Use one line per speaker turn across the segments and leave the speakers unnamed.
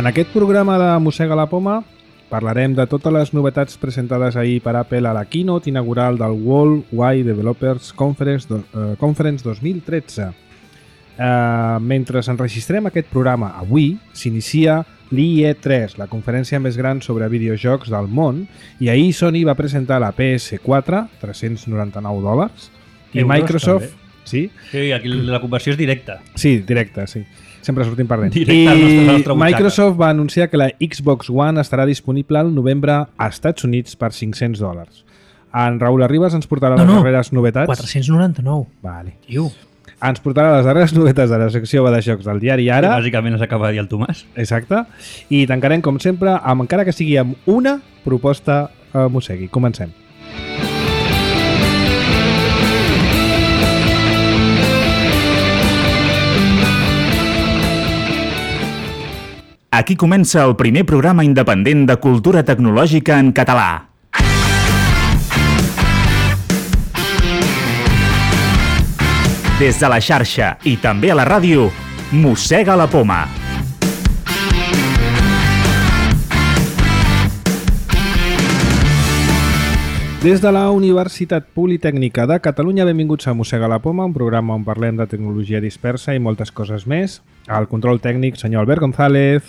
En aquest programa de Mossega la Poma parlarem de totes les novetats presentades ahir per Apple a la keynote inaugural del World Wide Developers Conference 2013. Mentre enregistrem aquest programa avui, s'inicia l'IE3, la conferència més gran sobre videojocs del món, i ahir Sony va presentar la PS4, $399, i Microsoft... Sí?
Sí, aquí la conversió és directa.
Sí, directa, sí. Sempre sortim perdent.
Directe al nostre butxaca.
Microsoft va anunciar que la Xbox One estarà disponible al novembre als Estats Units per $500. En Raül Arribas ens portarà les darreres novetats.
499.
Vale.
Tio.
Ens portarà les darreres novetats de la secció de jocs del diari Ara.
Bàsicament ens acaba de dir el Tomàs.
Exacte. I tancarem, com sempre, amb, encara que sigui amb una proposta a Mossegui. Comencem.
Aquí comença el primer programa independent de cultura tecnològica en català. Des de la xarxa i també a la ràdio, Mossega la Poma.
Des de la Universitat Politècnica de Catalunya, benvinguts a Mossega la Poma, un programa on parlem de tecnologia dispersa i moltes coses més. Al control tècnic, senyor Albert González.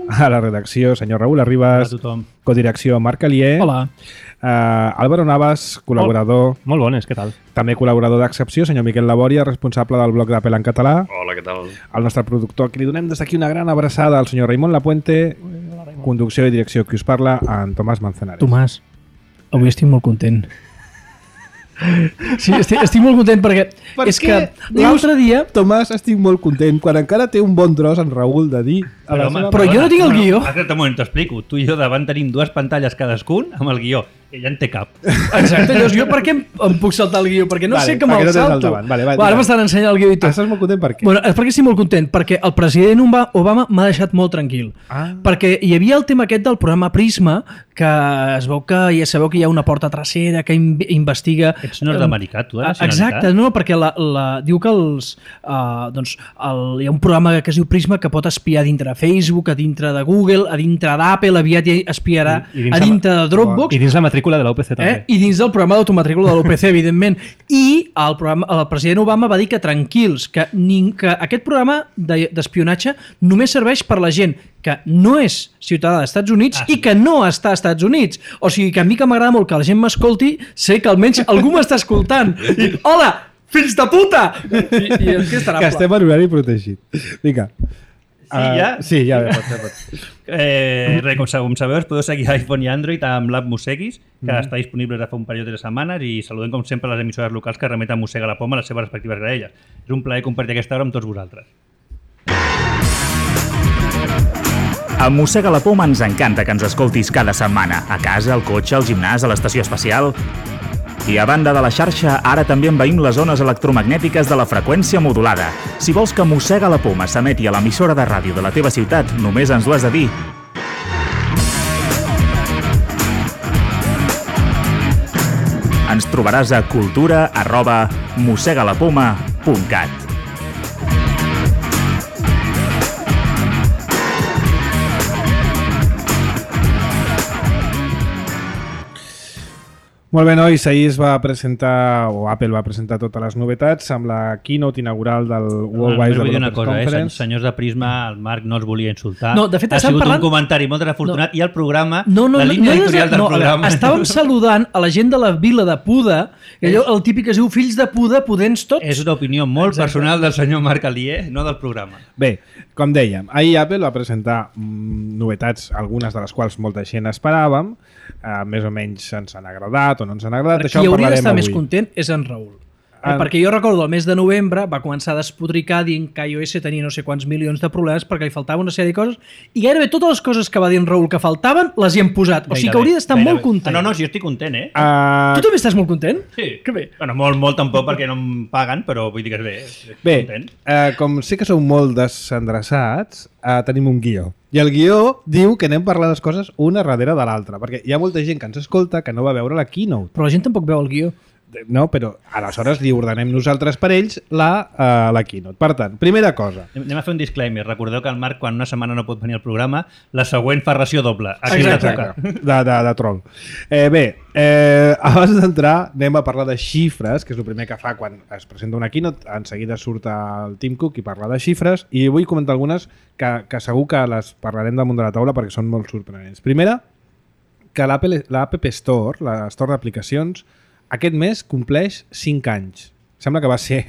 A la redacció, senyor Raül Arribas.
Hola a tothom.
Codirecció, Marc Alier.
Hola.
Álvaro Navas, col·laborador.
Molt bones, què tal?
També col·laborador d'excepció, senyor Miquel Labòria, responsable del blog d'Apple en català.
Hola, què tal?
El nostre productor, que li donem des d'aquí una gran abraçada al senyor Raimon Lapuente. Conducció i direcció, qui us parla, en Tomàs Manzanares.
Tomàs, avui estic molt content. Sí, estic molt content perquè és que l'altre dia...
Tomàs, estic molt content, quan encara té un bon tros en Raül de dir...
Però jo no tinc el guió.
Un moment, t'ho explico. Tu i jo davant tenim dues pantalles cadascun amb el guió. Ella en té cap.
Exacte, llavors jo per què em puc saltar el guió? Perquè no sé que me'l salto.
Vale,
ara m'estan ensenyant el guió i tot.
Estàs molt content per què?
Bueno, és perquè estic molt content, perquè el president Obama m'ha deixat molt tranquil. Perquè hi havia el tema aquest del programa Prisma, que es veu que ja sabeu que hi ha una porta trasera que investiga...
Ets nord-americà, tu, de nacionalitat?
Exacte, no, perquè diu que hi ha un programa que es diu Prisma que pot espiar dintre de Facebook, a dintre de Google, a dintre d'Apple, aviat espiarà a dintre de Dropbox.
I dins la matrícula de l'UPC també.
I dins del programa d'automatrícula de l'UPC, evidentment. I el president Obama va dir que tranquils, que aquest programa d'espionatge només serveix per la gent que no és ciutadà dels Estats Units i que no està als Estats Units. O sigui que a mi que m'agrada molt que la gent m'escolti, sé que almenys algú m'està escoltant. I, hola, fills de puta! I és que estarà...
Que estem en horari protegit. Vinga.
Sí, ja?
Sí, ja pot.
Com sabeu, us podeu seguir a iPhone i Android amb l'app Mosseguis, que està disponible des de fa un període de setmanes, i saludem com sempre les emissores locals que remeten Mossega la Poma a les seves respectives graelles. És un plaer compartir aquesta hora amb tots vosaltres.
A Mossega la Poma ens encanta que ens escoltis cada setmana, a casa, al cotxe, al gimnàs, a l'estació espacial. I a banda de la xarxa, ara també envaïm les zones electromagnètiques de la freqüència modulada. Si vols que Mossega la Poma s'emeti a l'emissora de ràdio de la teva ciutat, només ens ho has de dir. Ens trobaràs a cultura@mossegalapoma.cat.
Molt bé, nois, ahir es va presentar, o Apple va presentar totes les novetats amb la keynote inaugural del World Wide Developers Conference.
Senyors de Prisma, el Marc no els volia insultar.
No, de fet,
ha sigut un comentari molt desafortunat i el programa,
la
línia editorial del programa...
Estàvem saludant a la gent de la vila de Puda, i allò, el típic que es diu fills de Puda, pudents tots.
És una opinió molt personal del senyor Marc Alier, no del programa.
Bé, com dèiem, ahir Apple va presentar novetats, algunes de les quals molta gent esperàvem, més o menys ens han agradat o no ens han agradat.
Qui hauria d'estar més content és en Raül. Perquè jo recordo el mes de novembre va començar a despotricar dient que iOS tenia no sé quants milions de problemes perquè li faltava una sèrie de coses i gairebé totes les coses que va dir en Raül que faltaven les hi hem posat. O sigui que hauria d'estar molt content.
No, jo estic content, eh?
Tu també estàs molt content?
Sí.
Que bé.
Bueno, molt tampoc perquè no em paguen, però vull dir que és bé.
Bé, com sé que sou molt desendreçats, tenim un guió. I el guió diu que anem parlant les coses una darrere de l'altra, perquè hi ha molta gent que ens escolta que no va veure la keynote.
Però la gent tampoc veu el guió.
No, però aleshores li ordenem nosaltres per ells la keynote. Per tant, primera cosa.
Anem a fer un disclaimer. Recordeu que el Marc, quan una setmana no pot venir al programa, la següent fa ració doble. Aquí
Exacte. De troll. Abans d'entrar, anem a parlar de xifres, que és el primer que fa quan es presenta una keynote. En seguida surt el Tim Cook i parla de xifres, i vull comentar algunes que segur que les parlarem damunt de la taula perquè són molt sorprenents. Primera, que l'App Store, la Store d'aplicacions, aquest mes compleix 5 anys. Sembla que va ser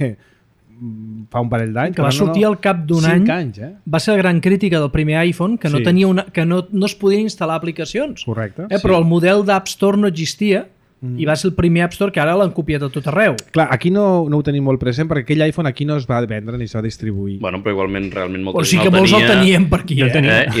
fa un parell d'anys.
Que va sortir al cap d'un any.
5 anys,
Va ser la gran crítica del primer iPhone, que no tenia que no es podien instal·lar aplicacions.
Correcte.
Però el model d'App Store no existia i va ser el primer App Store que ara l'han copiat a tot arreu.
Clar, aquí no ho tenim molt present perquè aquell iPhone aquí no es va vendre ni es va distribuir.
Bueno, però igualment realment molta
O
gent
sigui que molts el tenien per aquí.
I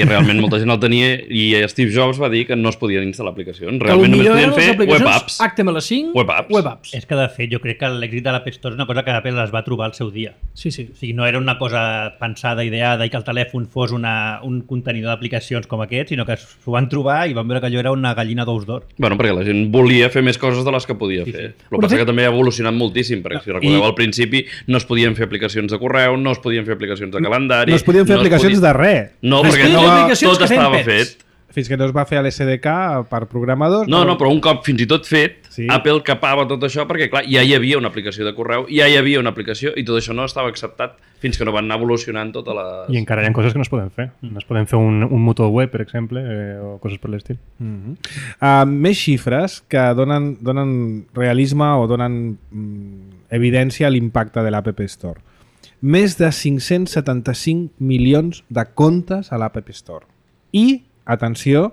realment molta gent el tenia i Steve Jobs va dir que no es podien instal·lar aplicacions.
Que
Realment només
potser
podien
eren les
fer web apps.
HTML5,
Web apps.
És que, de fet, jo crec que l'èxit de l'App Store és una cosa que Apple es va trobar al seu dia.
Sí.
O sigui, no era una cosa pensada, ideada, i que el telèfon fos un contenidor d'aplicacions com aquest, sinó que s'ho van trobar i van veure que allò era una gallina d'ous d'or.
Bueno, perquè la gent volia fer més coses de les que podia fer. El que passa que també ha evolucionat moltíssim, perquè si recordeu al principi no es podien fer aplicacions de correu, no es podien fer aplicacions de calendari...
No es podien fer aplicacions de res.
No, perquè tot estava fet.
Fins que no es va fer a l'SDK per programadors...
No, però un cop fins i tot fet, Apple capava tot això perquè, clar, ja hi havia una aplicació de correu, ja hi havia una aplicació i tot això no estava acceptat fins que no van anar evolucionant totes les...
I encara hi ha coses que no es poden fer. No es poden fer un motor web, per exemple, o coses per l'estil.
Més xifres que donen realisme o donen evidència a l'impacte de l'App Store. Més de 575 milions de comptes a l'App Store. I atenció,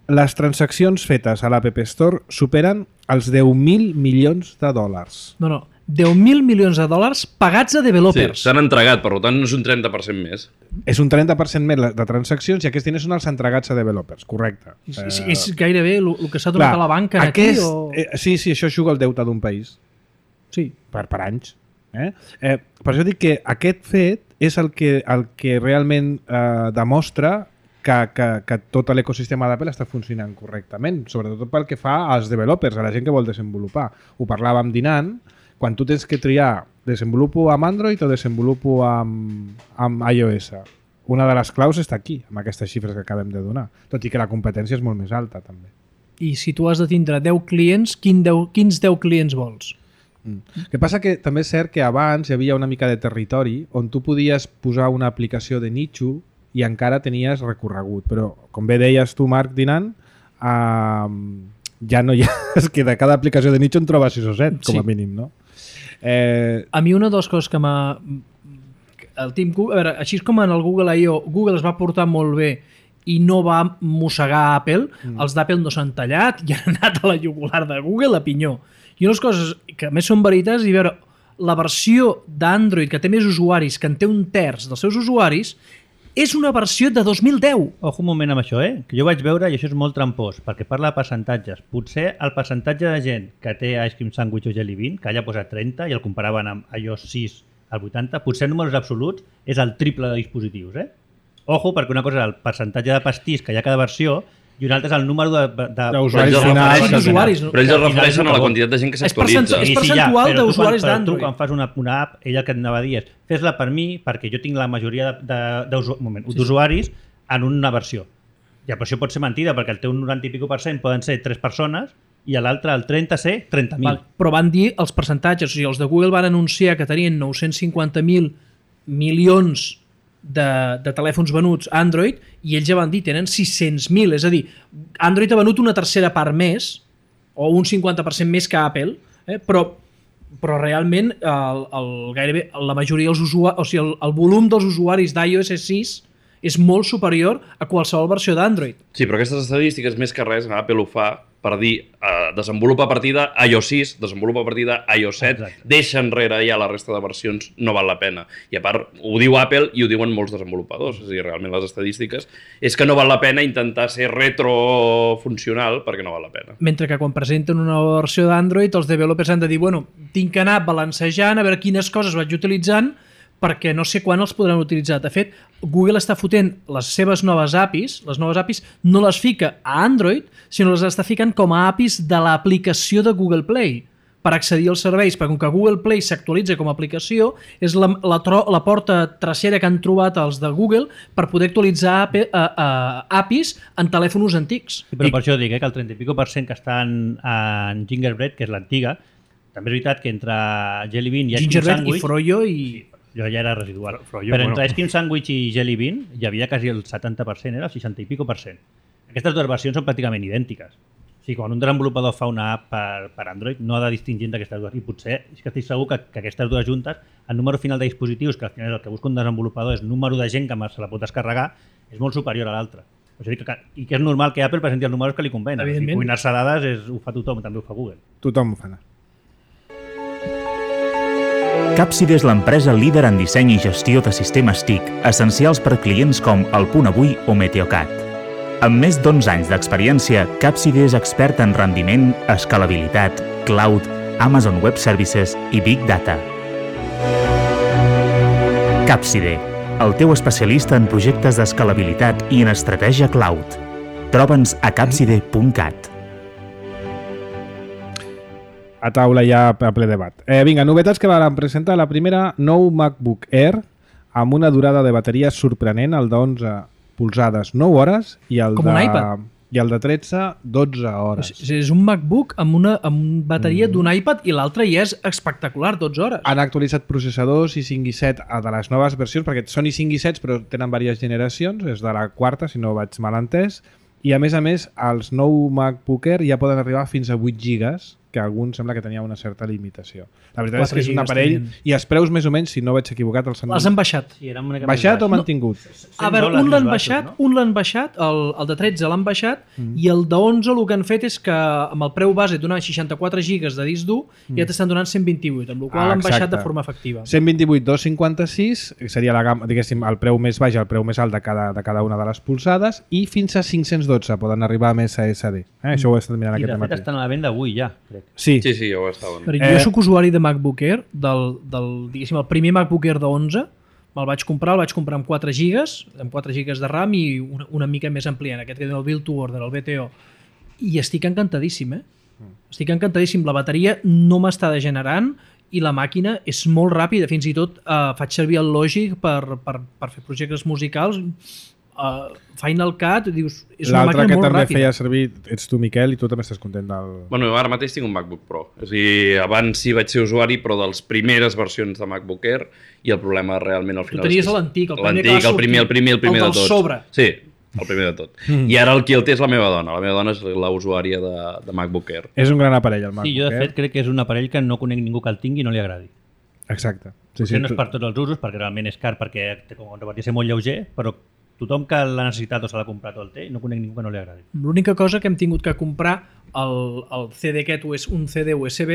les transaccions fetes a l'App Store superen els 10.000 milions de dòlars.
No, 10.000 milions de dòlars pagats a developers.
Sí, s'han entregat, per tant és un 30% més.
És un 30% més de transaccions i aquests diners són els entregats a developers, correcte.
És gairebé el que s'ha donat a la banca aquí?
Sí, això juga el deute d'un país.
Sí.
Per anys. Per això dic que aquest fet és el que realment demostra que tot l'ecosistema d'Apple està funcionant correctament, sobretot pel que fa als developers, a la gent que vol desenvolupar. Ho parlàvem dinant, quan tu tens que triar desenvolupo amb Android o desenvolupo amb iOS. Una de les claus està aquí, amb aquestes xifres que acabem de donar, tot i que la competència és molt més alta també.
I si tu has de tindre 10 clients, quins 10 clients vols?
El que passa que també és cert que abans hi havia una mica de territori on tu podies posar una aplicació de nicho i encara tenies recorregut, però com bé deies tu, Marc, dinant, ja no hi ha... És que de cada aplicació de nicho en trobes 6 o 7, com a mínim, no?
A mi una de les coses que m'ha... El Tim Cook, a veure, així com en el Google I.O. Google es va portar molt bé i no va mossegar Apple, els d'Apple no s'han tallat i han anat a la jugular de Google a pinyó. I unes coses que més són veritats, i veure, la versió d'Android que té més usuaris, que en té un terç dels seus usuaris, és una versió de 2010.
Ojo un moment amb això, que jo vaig veure i això és molt trampós, perquè parla de percentatges. Potser el percentatge de gent que té Ice Cream Sandwich o Jelly Bean, que allà posa 30 i el comparaven amb iOS 6 al 80, potser en números absoluts és el triple de dispositius. Ojo, perquè una cosa és el percentatge de pastís que hi ha a cada versió i un altre és el número
d'usuaris
finals.
Però ells es reflexen a la quantitat de gent que s'actualitza.
És percentual d'usuaris d'Android.
Tu quan fas una app, ell el que et anava a dir és fes-la per mi perquè jo tinc la majoria d'usuaris en una versió. I la versió pot ser mentida perquè el teu 90 i pico % poden ser 3 persones i l'altre, el 30, ser 30.000.
Però van dir els percentatges. O sigui, els de Google van anunciar que tenien 950.000 milions de telèfons venuts Android i ells ja van dir tenen 600.000, és a dir, Android ha venut una tercera part més o un 50% més que Apple, però realment gairebé la majoria dels usuaris, o sigui, el volum dels usuaris d'iOS 6 és molt superior a qualsevol versió d'Android.
Sí, però aquestes estadístiques més que res Apple ho fa per dir desenvolupa a partir d'iOS 6, desenvolupa a partir d'iOS 7, deixa enrere ja la resta de versions, no val la pena. I a part, ho diu Apple i ho diuen molts desenvolupadors, és a dir, realment les estadístiques és que no val la pena intentar ser retrofuncional perquè no val la pena.
Mentre que quan presenten una nova versió d'Android els developers han de dir, bueno, tinc que anar balancejant a veure quines coses vaig utilitzant perquè no sé quan els podran utilitzar. De fet, Google està fotent les seves noves APIs no les fica a Android, sinó les està ficant com a APIs de l'aplicació de Google Play per accedir als serveis, perquè com que Google Play s'actualitza com a aplicació, és la porta trasera que han trobat els de Google per poder actualitzar APIs en telèfons antics.
Sí, però per això dic que el 30 i pico % que estan en Gingerbread, que és l'antiga, també és veritat que entre Jelly Bean i Ice Cream
Gingerbread
Sandwich...
i Froyo i...
Jo ja era residual.
Froyo,
Però
bueno.
entre Ice Cream Sandwich i Jelly Bean hi havia quasi el 70%, era el 60 i pico %. Aquestes dues versions són pràcticament idèntiques. O sigui, quan un desenvolupador fa una app per Android, no ha de distingir entre aquestes dues. I potser, és que estic segur que aquestes dues juntes, el número final de dispositius, que al final és el que busca un desenvolupador, és número de gent que se la pot descarregar, és molt superior a l'altre. O sigui, i que és normal que Apple presenti els números que li convenen.
Evidentment.
I cuinar-se dades ho fa tothom, també ho fa Google.
Tothom ho fa.
Capside és l'empresa líder en disseny i gestió de sistemes TIC, essencials per clients com El Punt Avui o Meteocat. Amb més d'11 anys d'experiència, Capside és expert en rendiment, escalabilitat, cloud, Amazon Web Services i Big Data. Capside, el teu especialista en projectes d'escalabilitat i en estratègia cloud. Troba'ns a capside.cat.
A taula ja a ple debat. Vinga, novetats que van presentar. La primera, nou MacBook Air amb una durada de bateria sorprenent, el de 11 polzades 9 hores i el
Com un iPad.
I el de 13 12 hores.
És un MacBook amb bateria d'un iPad i l'altre ja és espectacular, 12 hores.
Han actualitzat processadors i 5 i 7 de les noves versions, perquè són i 5 i 7 però tenen diverses generacions, és de la quarta, si no vaig mal entès, i a més, els nou MacBook Air ja poden arribar fins a 8 gigas, que alguns sembla que tenia una certa limitació. La veritat és que és un aparell, i els preus més o menys, si no vaig equivocat, els han
baixat.
Sí, era una mica
baixat
més
o
baix.
mantingut?
A veure, un l'han baixat, el de 13 l'han baixat, i el de 11 el que han fet és que amb el preu base donant 64 gigas de disc dur ja t'estan donant 128, amb la qual l'han baixat de forma efectiva.
128, 256, seria la gamma, diguéssim, el preu més baix, el preu més alt de cada una de les polsades, i fins a 512 poden arribar més a SD. Això ho he estat mirant
I
aquest
de fet
matí.
estan a la venda avui ja, crec.
Sí.
Sí, ja ho estaven.
Però jo soc usuari de MacBook Air, diguéssim, el primer MacBook Air de 11, el vaig comprar amb 4 gigas de RAM i una mica més ampliant, aquest que diu el Build to Order, el BTO. I estic encantadíssim, Estic encantadíssim. La bateria no m'està degenerant i la màquina és molt ràpida. Fins i tot faig servir el Logic per fer projectes musicals. Final Cut, dius, és una màquina molt ràpida.
L'altre que també feia servir ets tu, Miquel, i tu també estàs content del...
Bueno, ara mateix tinc un MacBook Pro. És a dir, abans sí vaig ser usuari, però de les primeres versions de MacBook Air, i el problema realment al final...
Tu tenies l'antic, el primer
que va sortir. El primer de
del
tots.
sobre.
Sí, el primer de tot. I ara qui el té és la meva dona. La meva dona és la usuària de MacBook Air.
És un gran aparell, el MacBook
Sí, jo de fet crec que és un aparell que no conec ningú que el tingui i no li agradi.
Exacte.
Potser no és per tots els usos, perquè realment és car, perquè com a ser molt lleuger, però tothom que l'ha necessitat o se l'ha comprat o el té, no conec ningú que no li agradi.
L'única cosa que hem tingut que comprar el CD aquest, un CD USB,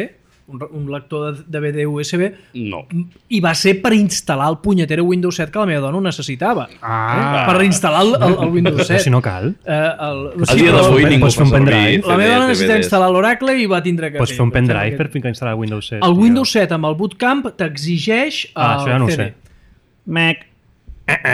un lector de DVD USB,
No.
i va ser per instal·lar el punyetero Windows 7 que la meva dona ho necessitava. Per reinstal·lar el Windows 7.
Si no cal.
A dia d'avui ningú
pots fer un
fa servir
pendrive.
La meva dona necessitava
DVDs.
instal·lar l'Oracle i va tindre que
Pots fer un pendrive per ficar instal·lar Windows 7.
El Windows 7 amb el Bootcamp t'exigeix
això ja no ho
CD.
sé.
Mac.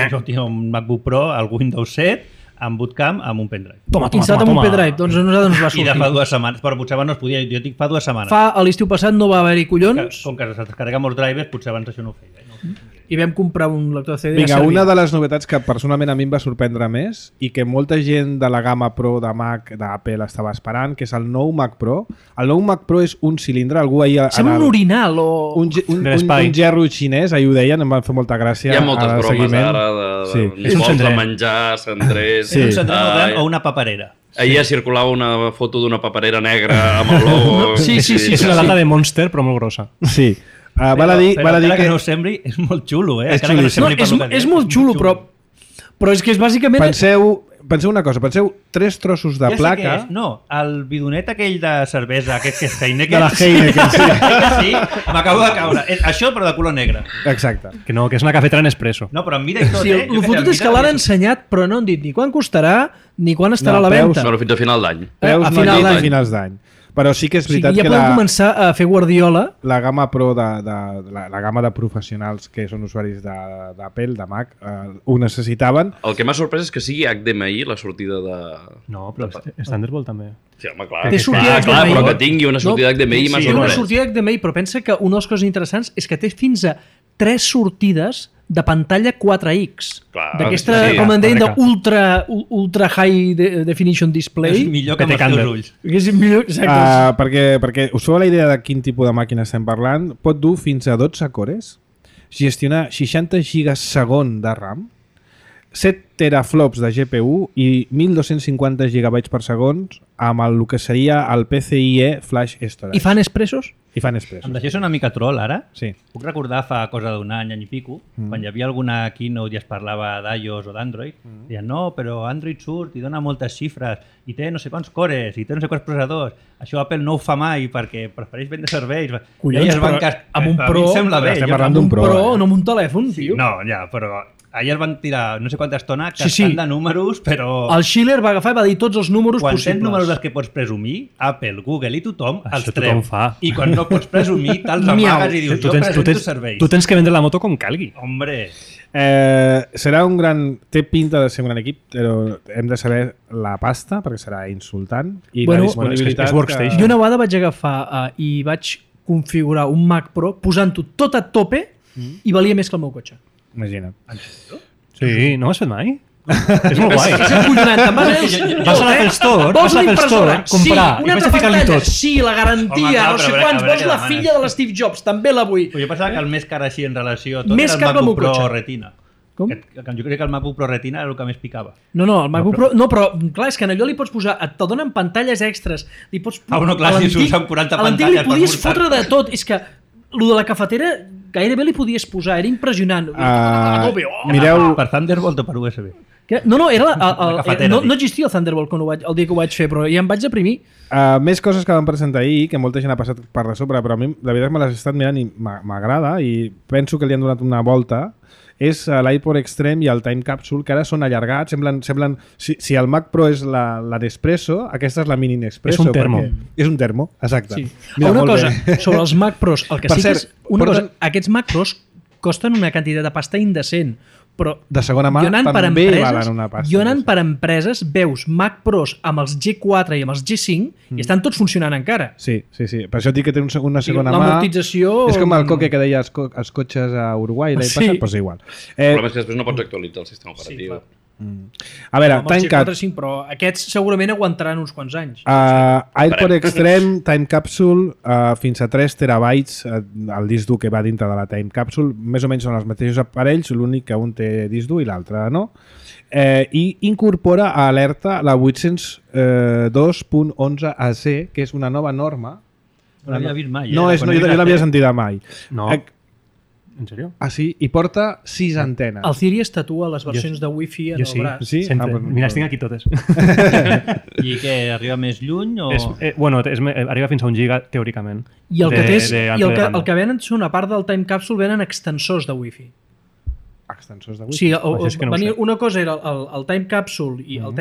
Jo tinc un MacBook Pro, el Windows 7, amb Bootcamp, amb un pendrive.
Instal·lat amb un pendrive, doncs a nosaltres ens va
I de fa
sortir.
2 setmanes, però potser abans no es podia, jo dic fa 2 setmanes.
A l'estiu passat no va haver-hi collons
Com que es descarrega molts drivers, potser abans això no ho feia. No?
i vam comprar un lector de CD.
Vinga,
ja servia.
una de les novetats que personalment a mi em va sorprendre més i que molta gent de la gamma Pro de Mac d'Apple estava esperant, que és el nou Mac Pro. El nou Mac Pro és un cilindre, algú ahir...
Sembla un orinal o...
un gerro xinès, ahir ho deien, em van fer molta gràcia.
Hi ha moltes bromes
seguiment.
ara
Sí.
de vols de menjar, cendrers...
Sí.
És un centre molt gran o una paperera.
Ahir circulava una foto d'una paperera negra amb el logo...
Sí.
És una lata de Monster, però molt grossa.
Sí. Val a dir
Però
que...
no ho sembli, és molt xulo, eh?
És
Encara que no
xulíssim.
No,
sembli per lo que
és
dius,
molt xulo, però és que és bàsicament...
Penseu una cosa, penseu 3 trossos de
Ja sé què
placa...
és. No, el bidonet aquell de cervesa, aquest que és Heineken...
De la Heineken, sí.
Sí, m'acabo de caure. Això, però de color negre.
Exacte.
Que no, que és una cafetera Nespresso.
No, però en mida i tot,
Sí,
eh?
el fotut és que l'han ensenyat, però no han dit ni quan costarà ni quan estarà a la
preus,
venda.
Bueno, fins a final d'any.
Preus
A
no
final
han dit
d'any.
a finals d'any. Però sí que és
O sigui,
veritat
ja
que
podem començar a fer Guardiola.
la gamma Pro la gamma de professionals que són usuaris d'Apple, de Mac, ho necessitaven.
El que m'ha sorprès és que sigui HDMI la sortida de...
No, però Thunderbolt també.
Sí, home, clar.
Té sortida
Clar,
HDMI.
però que tingui una sortida HDMI m'ha
Té una
sorprès.
sortida HDMI, però pensa que una de les coses interessants és que té fins a 3 sortides de pantalla 4X.
Clar,
D'aquesta,
sí,
com en deien,
correcte.
ultra high definition display.
És millor que amb els
Candle.
teus ulls.
Que és millor, exacte.
Perquè us feu la idea de quin tipus de màquina estem parlant, pot dur fins a 12 cores, gestionar 60 gigas segon de RAM, 7 teraflops de GPU i 1250 gigabytes per segon amb el que seria el PCIe Flash Storage.
I fan expressos?
I fan expressos.
Em deixeu una mica troll ara?
Sí.
Puc recordar fa cosa d'un any i pico, quan hi havia alguna keynote i es parlava d'iOS o d'Android, deien, no, però Android surt i dona moltes xifres, i té no sé quants cores, i té no sé quants processadors. Això Apple no ho fa mai perquè prefereix vendre serveis.
Collons,
I es van
però amb un
a mi
Pro...
em sembla bé.
estem
Jo-
parlant
Amb un
Pro,
Pro, no amb un telèfon, tio.
No, ja, però ahir el van tirar no sé quanta estona
Sí,
cascant
sí.
de números, però...
El Schiller va agafar i va dir tots els números
Quan
possibles.
tens números dels que pots presumir, Apple, Google i tothom els
Això
treu.
tothom fa.
I quan no pots presumir, te'ls
Miau.
amagues i dius, jo presento serveis.
tu tens que vendre la moto com calgui.
Hombre,
Serà un gran... Té pinta de ser un gran equip, però hem de saber la pasta, perquè serà insultant, i
Bueno,
la disponibilitat...
és workstation.
Jo una vegada vaig agafar i vaig configurar un Mac Pro posant-ho tot a tope i valia més que el meu cotxe.
Imagina't.
Sí, no ho has fet mai? És molt guai.
És acollonant. Te'n vas a
Vas a l'Apple Store,
Vols
vas a
una
l'Apple Store,
impressora?
comprar,
Sí,
i
una
vaig
altra
a ficar-li
pantalla?
tot.
Sí, la garantia,
Home, clar,
no sé
però a
quants.
veure
Vols
què
la
demanes.
filla de l'Steve Jobs? També la vull.
jo pensava que el més car així en relació a tot
Més
era
car
el
que el meu
MacBook Pro
cotxe.
Retina.
Com?
Jo crec que el MacBook Pro Retina era el que més picava.
No, el MacBook Pro... No, però clar, és que en allò li pots posar... Te donen pantalles extres. Li pots...
No, clar,
a
si
l'antic-
s'usen 40
a l'antic
pantalles
li podies
per
fotre de tot. És que el de la cafetera gairebé li podies posar. Era impressionant. A tope, oh!
Mireu...
Per Thunderbolt o per USB?
Què? No, era
cafetera,
no
dic.
existia el Thunderbolt el dia que ho vaig fer, però ja em vaig deprimir.
Més coses que van presentar ahir, que molta gent ha passat per de sobre, però a mi la veritat que me les he estat mirant i m'agrada i penso que li han donat una volta, és l'iPod Extreme i el Time Capsule, que ara són allargats, semblen si el Mac Pro és la Nespresso, aquesta és la Mini Nespresso.
És un termo.
És un termo, exacte.
Sí.
Mira,
Una
molt
cosa,
bé.
sobre els Mac Pros, el que
Per
sí que
cert,
és... Una
porten-
cosa, aquests Mac Pros costen una quantitat de pasta indecent, però
De segona mà
jo anant per
també
empreses,
valen una pasta.
jo anant per empreses veus Mac Pros amb els G4 i amb els G5 i estan tots funcionant encara.
Sí. Per això dic que té una segona mà.
L'amortització...
És com el coque que deia els cotxes a Uruguai l'any
Sí.
passat, doncs igual.
El problema és que després no pots actualitzar el sistema operatiu.
A veure,
Amb els
Time
G4 5, però aquests segurament aguantaran uns quants anys.
iPod Extreme, Time Capsule, fins a 3 terabytes el disc dur que va dintre de la Time Capsule, més o menys són els mateixos aparells, l'únic que un té disc dur i l'altre no. I incorpora a alerta la 802.11 AC, que és una nova norma.
No l'havia vist mai.
No, jo l'havia sentida mai.
No. En sèrio?
Ah, sí? I porta 6 antenes.
El Ciri es tatua les versions de Wi-Fi en
Jo
el
sí,
braç.
Sí?
sempre.
Ah, pues-
Mira, les tinc aquí totes.
I què, arriba més lluny o...
Arriba fins a 1 giga, teòricament.
I el que, té és, i
d'ample de banda.
el que venen són, a part del Time Capsule, venen extensors de Wi-Fi.
Extensors de
O
Wi-Fi.
sigui,
Això és que no ho
venia,
sé.
una cosa era el Time Capsule i el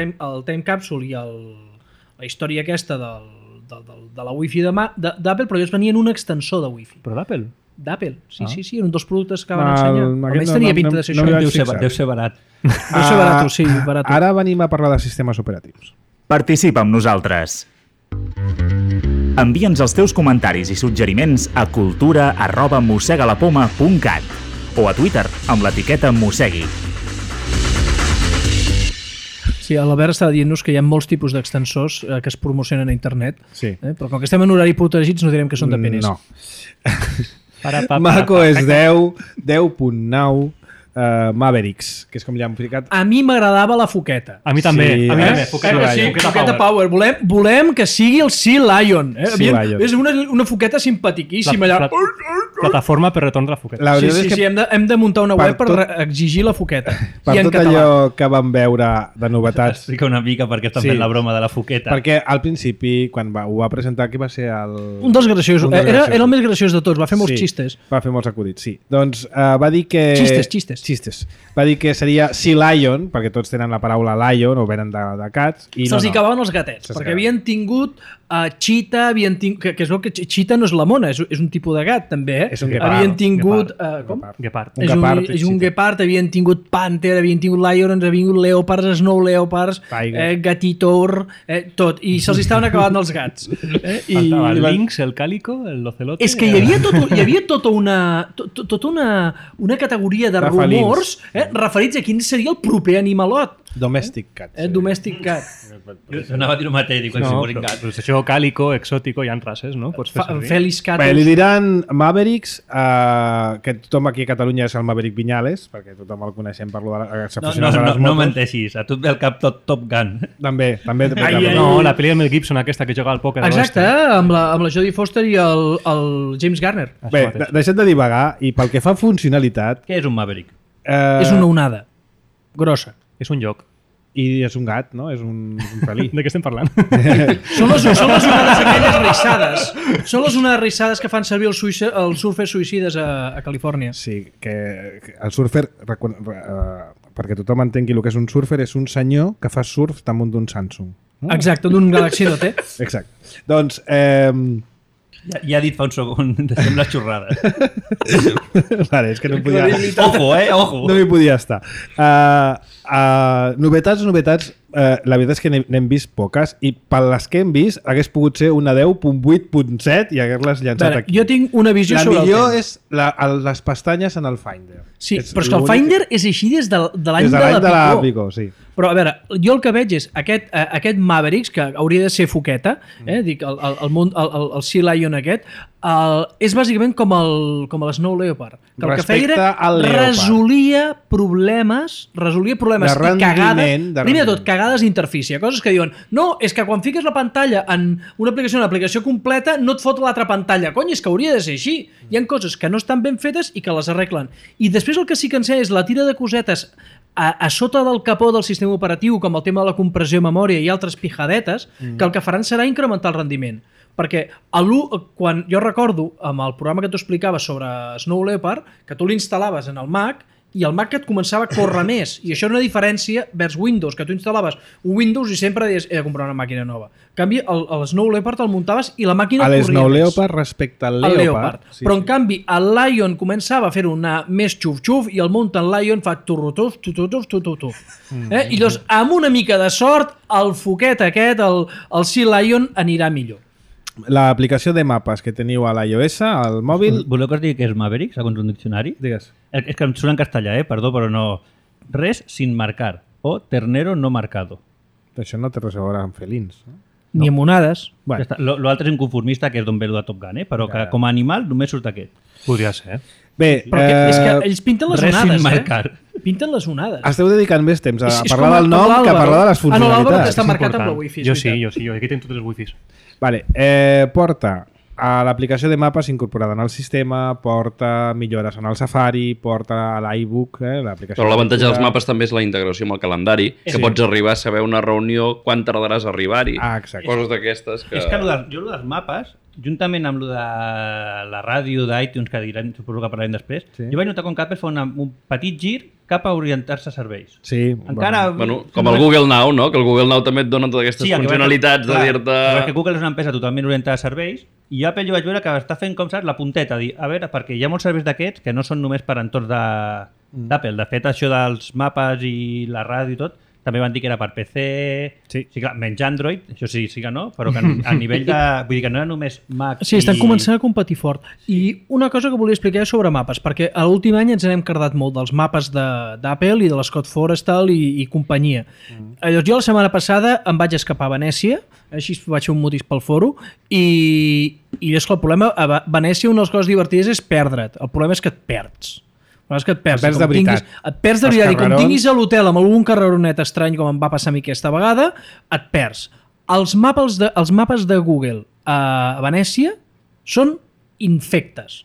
Time Capsule i la història aquesta de la Wi-Fi d'Apple, però ells venien un extensor de Wi-Fi.
Però d'Apple?
D'Apple, sí, eren dos productes que van
Ah,
ensenyar.
aquest
Almenys
no-
tenia
no-
pinta
no-
de ser
no
això.
m'hi vaig
Deu ser,
fixar.
deu ser barat.
Deu ser barat, sí, barat.
Ara venim a parlar de sistemes operatius.
Participa amb nosaltres. Envia'ns els teus comentaris i suggeriments a cultura@mossegalapoma.cat o a Twitter amb l'etiqueta Mossegui.
Sí, l'Albert estava dient-nos que hi ha molts tipus d'extensors que es promocionen a internet,
Sí.
però com que estem en horari protegits no direm que són de penis.
No.
Para,
macOS 10, 10.9, Mavericks, que és com li han ficat.
A mi m'agradava la foqueta.
A mi també.
Sí,
a mi
eh?
també.
Sí,
Foqueta,
sí,
Foqueta Power. Volem que sigui el Sea Lion.
Sea Lion.
És una foqueta simpatiquíssima allà.
Plataforma per retorn de la foqueta.
La
Sí,
veritat és que
hem de muntar una
per
web per
tot-
exigir la foqueta.
per
I en
tot
català.
allò que vam veure de novetats,
Explica una mica perquè estan
Sí.
fent la broma de la foqueta.
perquè al principi, quan ho va presentar, qui va ser el...
Un dels graciosos.
Un dels
Era
graciosos.
el més graciós de tots. Va fer molts xistes.
Va fer molts acudits, sí. Doncs va dir que...
Xistes.
Va dir que seria Sea Lion, perquè tots tenen la paraula lion o venen de cats. I
Se'ls hi acabaven els gatets,
Se'ls
perquè
acabaven.
havien tingut Cheetah havien tingut... Que és el que Cheetah no és la mona, és un tipus de gat, també,
És un guepard.
Havien tingut... com?
Gepard.
Un guepard,
És un
Cheetah.
guepard, havien tingut panther, havien tingut lions, havien tingut leopards, snow leopards,
Tiger.
gatitor, tot. I se'ls estaven acabant els gats.
Faltava el lynx, el càlico, el ocelote...
És que hi havia tota una categoria de
De felins.
rumors referits a quin seria el proper animalot.
Domestic cat.
Domestic cat.
Jo anava a dir el mateix, dic,
No,
si
però,
gat.
però això càlico, exòtico, hi ha races, no? Pots fer servir.
Felis
Bé, li
catus.
diran Mavericks, que tothom aquí a Catalunya és el Maverick Viñales, perquè tothom el coneixem per lo de les
No,
aficionats a les
no
motos.
menteixis, a tu et ve al cap tot Top Gun.
També.
No, la pel·li de Mel Gibson, aquesta que juga al pòquer. a
Exacte,
l'oeste.
amb la Jodie Foster i el James Garner.
Això
Bé,
mateix.
deixem de divagar, i pel que fa a funcionalitat...
Què és un Maverick?
És una onada. Grossa.
És un joc.
I és un gat, no? És un felí.
De què estem parlant?
Són les onades aquelles rissades. Són les onades rissades que fan servir els surfers suïcides a Califòrnia.
Sí, que el surfer, perquè tothom entengui el que és un surfer, és un senyor que fa surf damunt d'un Samsung. No?
Exacte, d'un Galaxy Note.
Exacte. Doncs,
Ja ha dit fa un segon, sembla xorrada.
vale, és que no em podia...
Ojo, ojo.
No m'hi podia estar. Novetats, la veritat és que n'hem vist poques, i per les que hem vist hagués pogut ser una 10.8.7 i hagués-les llançat
Veure,
aquí.
jo tinc una visió
La
sobre el
millor
tema.
és les pestanyes en el Finder.
Sí, però és que el Finder és així des de l'any
Des
de
de
la Pico.
Pico, sí.
Però, a veure, jo el que veig és aquest Mavericks, que hauria de ser foqueta, dic, el Sea Lion aquest, és bàsicament com el Snow Leopard. Que el que feia
Respecte
era
al Leopard.
resolia problemes
De
i
rendiment,
cagades.
de
Primer de tot,
rendiment.
cagades d'interfície. Coses que diuen, no, és que quan fiques la pantalla en una aplicació completa, no et fot l'altra pantalla. Cony, és que hauria de ser així. Hi ha coses que no estan ben fetes i que les arreglen. I després el que sí que ensenya és la tira de cosetes a sota del capó del sistema operatiu, com el tema de la compressió de memòria i altres pijadetes, que el que faran serà incrementar el rendiment. Perquè quan jo recordo amb el programa que t'ho explicava sobre Snow Leopard, que tu l'instal·laves en el Mac i el Mac et començava a córrer més. I això és una diferència vers Windows, que tu instal·laves un Windows i sempre deies he de comprar una màquina nova. En canvi, el Snow Leopard el muntaves i la màquina
A
corria
l'Snow
més.
Leopard respecte al
El
Leopard.
Leopard. Però en canvi el Lion començava a fer-ho anar més xuf-xuf i el Mountain Lion fa turrutuf, tututuf. I llavors, amb una mica de sort, el foquet aquest, el Sea Lion, anirà millor.
L'aplicació de mapes que teniu a l'iOS, al mòbil...
Voleu que us digui què és Maverick, segons un diccionari?
Digues.
És que em surt en castellà, perdó, però no... Res sin marcar o ternero no marcado.
Això no té res a veure amb felins. No?
Ni amb onades.
Ja està. L'altre és inconformista, que és d'on ve el de Top Gun, però que com a animal només surt aquest.
Podria ser.
Bé,
Però és que ells pinten les
res sin
onades,
marcar.
Pinten les onades.
esteu dedicant més temps a
És
parlar
com
del nom que a
l'Àlvaro.
parlar de les
Ah, no, l'Àlvaro que
funcionalitats.
està marcat amb la
Important.
wifi. és
Jo
veritat.
sí, aquí tinc tots els wifis.
Vale, porta a l'aplicació de mapes incorporada en el sistema, porta millores en el Safari, porta a l'iBook, l'aplicació...
Però l'avantatge
de
dels
lectura.
mapes també és la integració amb el calendari, que pots arribar a saber una reunió, quan tardaràs a arribar-hi.
Ah, exacte.
Coses d'aquestes que...
És que jo el dels mapes, juntament amb el de la ràdio d'iTunes, que direm, suposo que parlarem després, jo vaig notar com Apple fa un petit gir cap a orientar-se a serveis.
Sí,
Encara...
Bueno, com el Google Now, no? Que el Google Now també et dona totes aquestes funcionalitats de dir-te...
Perquè Google és una empresa totalment orientada a serveis i Apple jo vaig veure que està fent, com saps, la punteta, dir, a veure, perquè hi ha molts serveis d'aquests que no són només per entorns d'Apple. De fet, això dels mapes i la ràdio i tot, també van dir que era per PC,
Sí.
clar, menys Android, això sí que no, però que a nivell de... Vull dir que no era només Mac
Sí, estan començant a competir fort. I una cosa que volia explicar és sobre mapes, perquè a l'últim any ens n'hem cardat molt dels mapes d'Apple i de l'Scott Forrestal i companyia. Llavors jo la setmana passada em vaig escapar a Venècia, així vaig fer un motis pel foro, i és que el problema a Venècia una de les coses divertides és perdre't. El problema és que et perds. És que et perds.
Et perds de veritat.
Et perds de
Els
veritat. I com
carrerons-
tinguis a l'hotel amb algun carreronet estrany, com em va passar a mi aquesta vegada, et perds. Els mapes de Google a Venècia són infectes.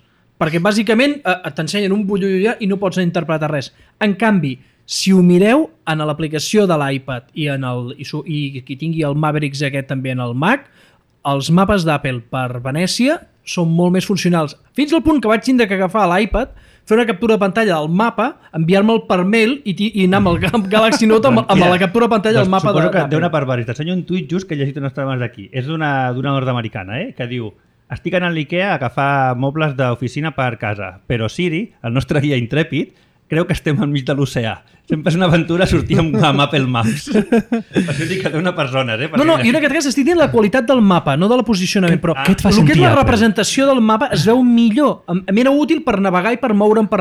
Perquè bàsicament t'ensenyen un bullullullà i no pots interpretar res. En canvi, si ho mireu en l'aplicació de l'iPad i qui tingui el Mavericks aquest també en el Mac, els mapes d'Apple per Venècia són molt més funcionals. Fins al punt que vaig tindre que agafar l'iPad fer una captura de pantalla del mapa, enviar-me'l per mail i anar amb el Galaxy Note amb la captura de pantalla del mapa
suposo que
d'Apple.
té una perversió. T'ensenyo un tuit just que he llegit unes estona abans d'aquí. És d'una nord-americana, que diu: estic anant a l'IKEA a agafar mobles d'oficina per casa, però Siri, el nostre guia intrèpid, creu que estem enmig de l'oceà. Sempre és una aventura sortir amb Apple Maps. Per això dic que té una persona,
No, i en aquest cas estic dient la qualitat del mapa, no de la posicionament, però
què et fa
el que
sentir,
és la
Apple?
representació del mapa es veu millor. M'era útil per navegar i per moure'm per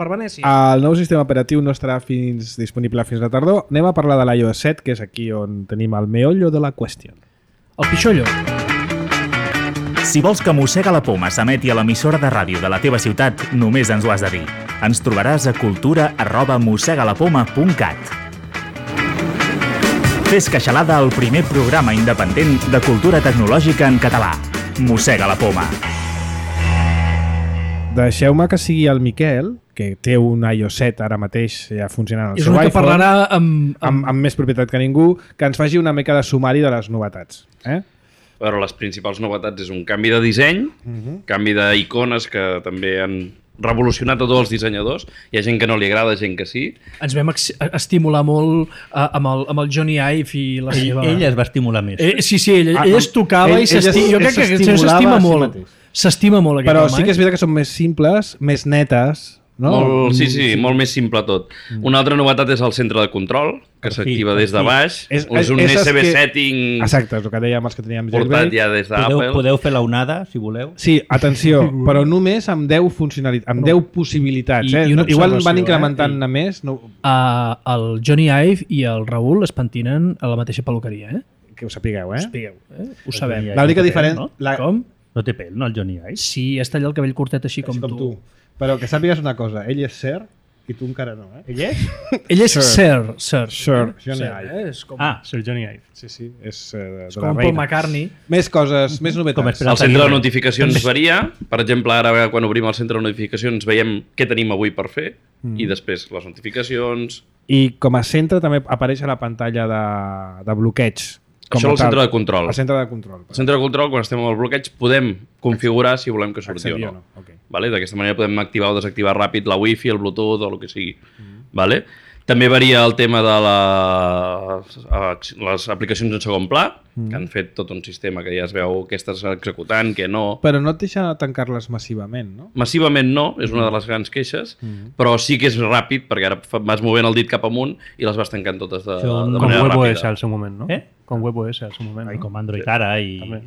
Venècia.
El nou sistema operatiu no estarà disponible fins a tardor. Anem a parlar de l'iOS 7, que és aquí on tenim el meollo de la qüestió.
El pixollo.
Si vols que Mossega la Poma s'emeti a l'emissora de ràdio de la teva ciutat, només ens ho has de dir. Ens trobaràs a cultura@mossegalapoma.cat. Fes queixalada al primer programa independent de cultura tecnològica en català. Mossega la Poma.
Deixeu-me que sigui el Miquel, que té un iOS 7 ara mateix ja funcionant al
És
seu
una que
iPhone,
parlarà
amb més propietat que ningú, que ens faci una mica de sumari de les novetats.
Però les principals novetats és un canvi de disseny, canvi d'icones que també han revolucionat a tots els dissenyadors. Hi ha gent que no li agrada, gent que sí.
Ens vam estimular molt amb el Johnny Ive i la seva...
Ell es va estimular més.
Sí, ell es tocava i s'estima. Jo crec que s'estima molt. S'estima molt aquest
Però
home.
sí que és veritat que són més simples, més netes, no?
Sí, molt més simple tot. Una altra novetat és el centre de control, que s'activa des de baix. És un USB setting
Exacte, és el que dèiem els que teníem
portat ja des d'Apple.
Podeu fer la onada, si voleu.
Sí, atenció, però només amb 10 funcionalitats, amb 10 possibilitats.
I una
Igual
observació,
van incrementant a més. No,
El Johnny Ive i el Raül es pentinen a la mateixa peluqueria,
que ho sapigueu,
Ho sabem.
L'única diferent...
no?
Com?
No té pèl, no, el Johnny Ive?
Sí, es talla el cabell curtet així com tu.
Però que sàpigues una cosa, ell és Sir i tu encara no,
Ell és?
Ell és
Sir.
Sir.
Johnny
Sir,
Ive.
És com,
Sir Johnny Ive.
Sí, és de
és
la
com Paul
reina.
McCartney.
Més coses, més novetats.
Com espera-
El centre de notificacions varia. Per exemple, ara quan obrim el centre de notificacions veiem què tenim avui per fer i després les notificacions.
I com a centre també apareix a la pantalla de bloqueig.
Això és el centre de control.
El centre de control.
Al centre de control, quan estem amb el bloqueig, podem configurar si volem que surti
Accedir
o
o
no.
no, ok.
Vale? D'aquesta manera podem activar o desactivar ràpid la Wi-Fi, el Bluetooth o el que sigui. Vale? També varia el tema de les aplicacions en segon pla, que han fet tot un sistema que ja es veu què estàs executant, què no.
Però no et deixa tancar-les massivament, no?
Massivament no, és una de les grans queixes, però sí que és ràpid, perquè ara vas movent el dit cap amunt i les vas tancant totes de
Com
manera
WebOS
ràpida.
al seu moment, no? Com WebOS al seu moment.
I com Android ara i...
També.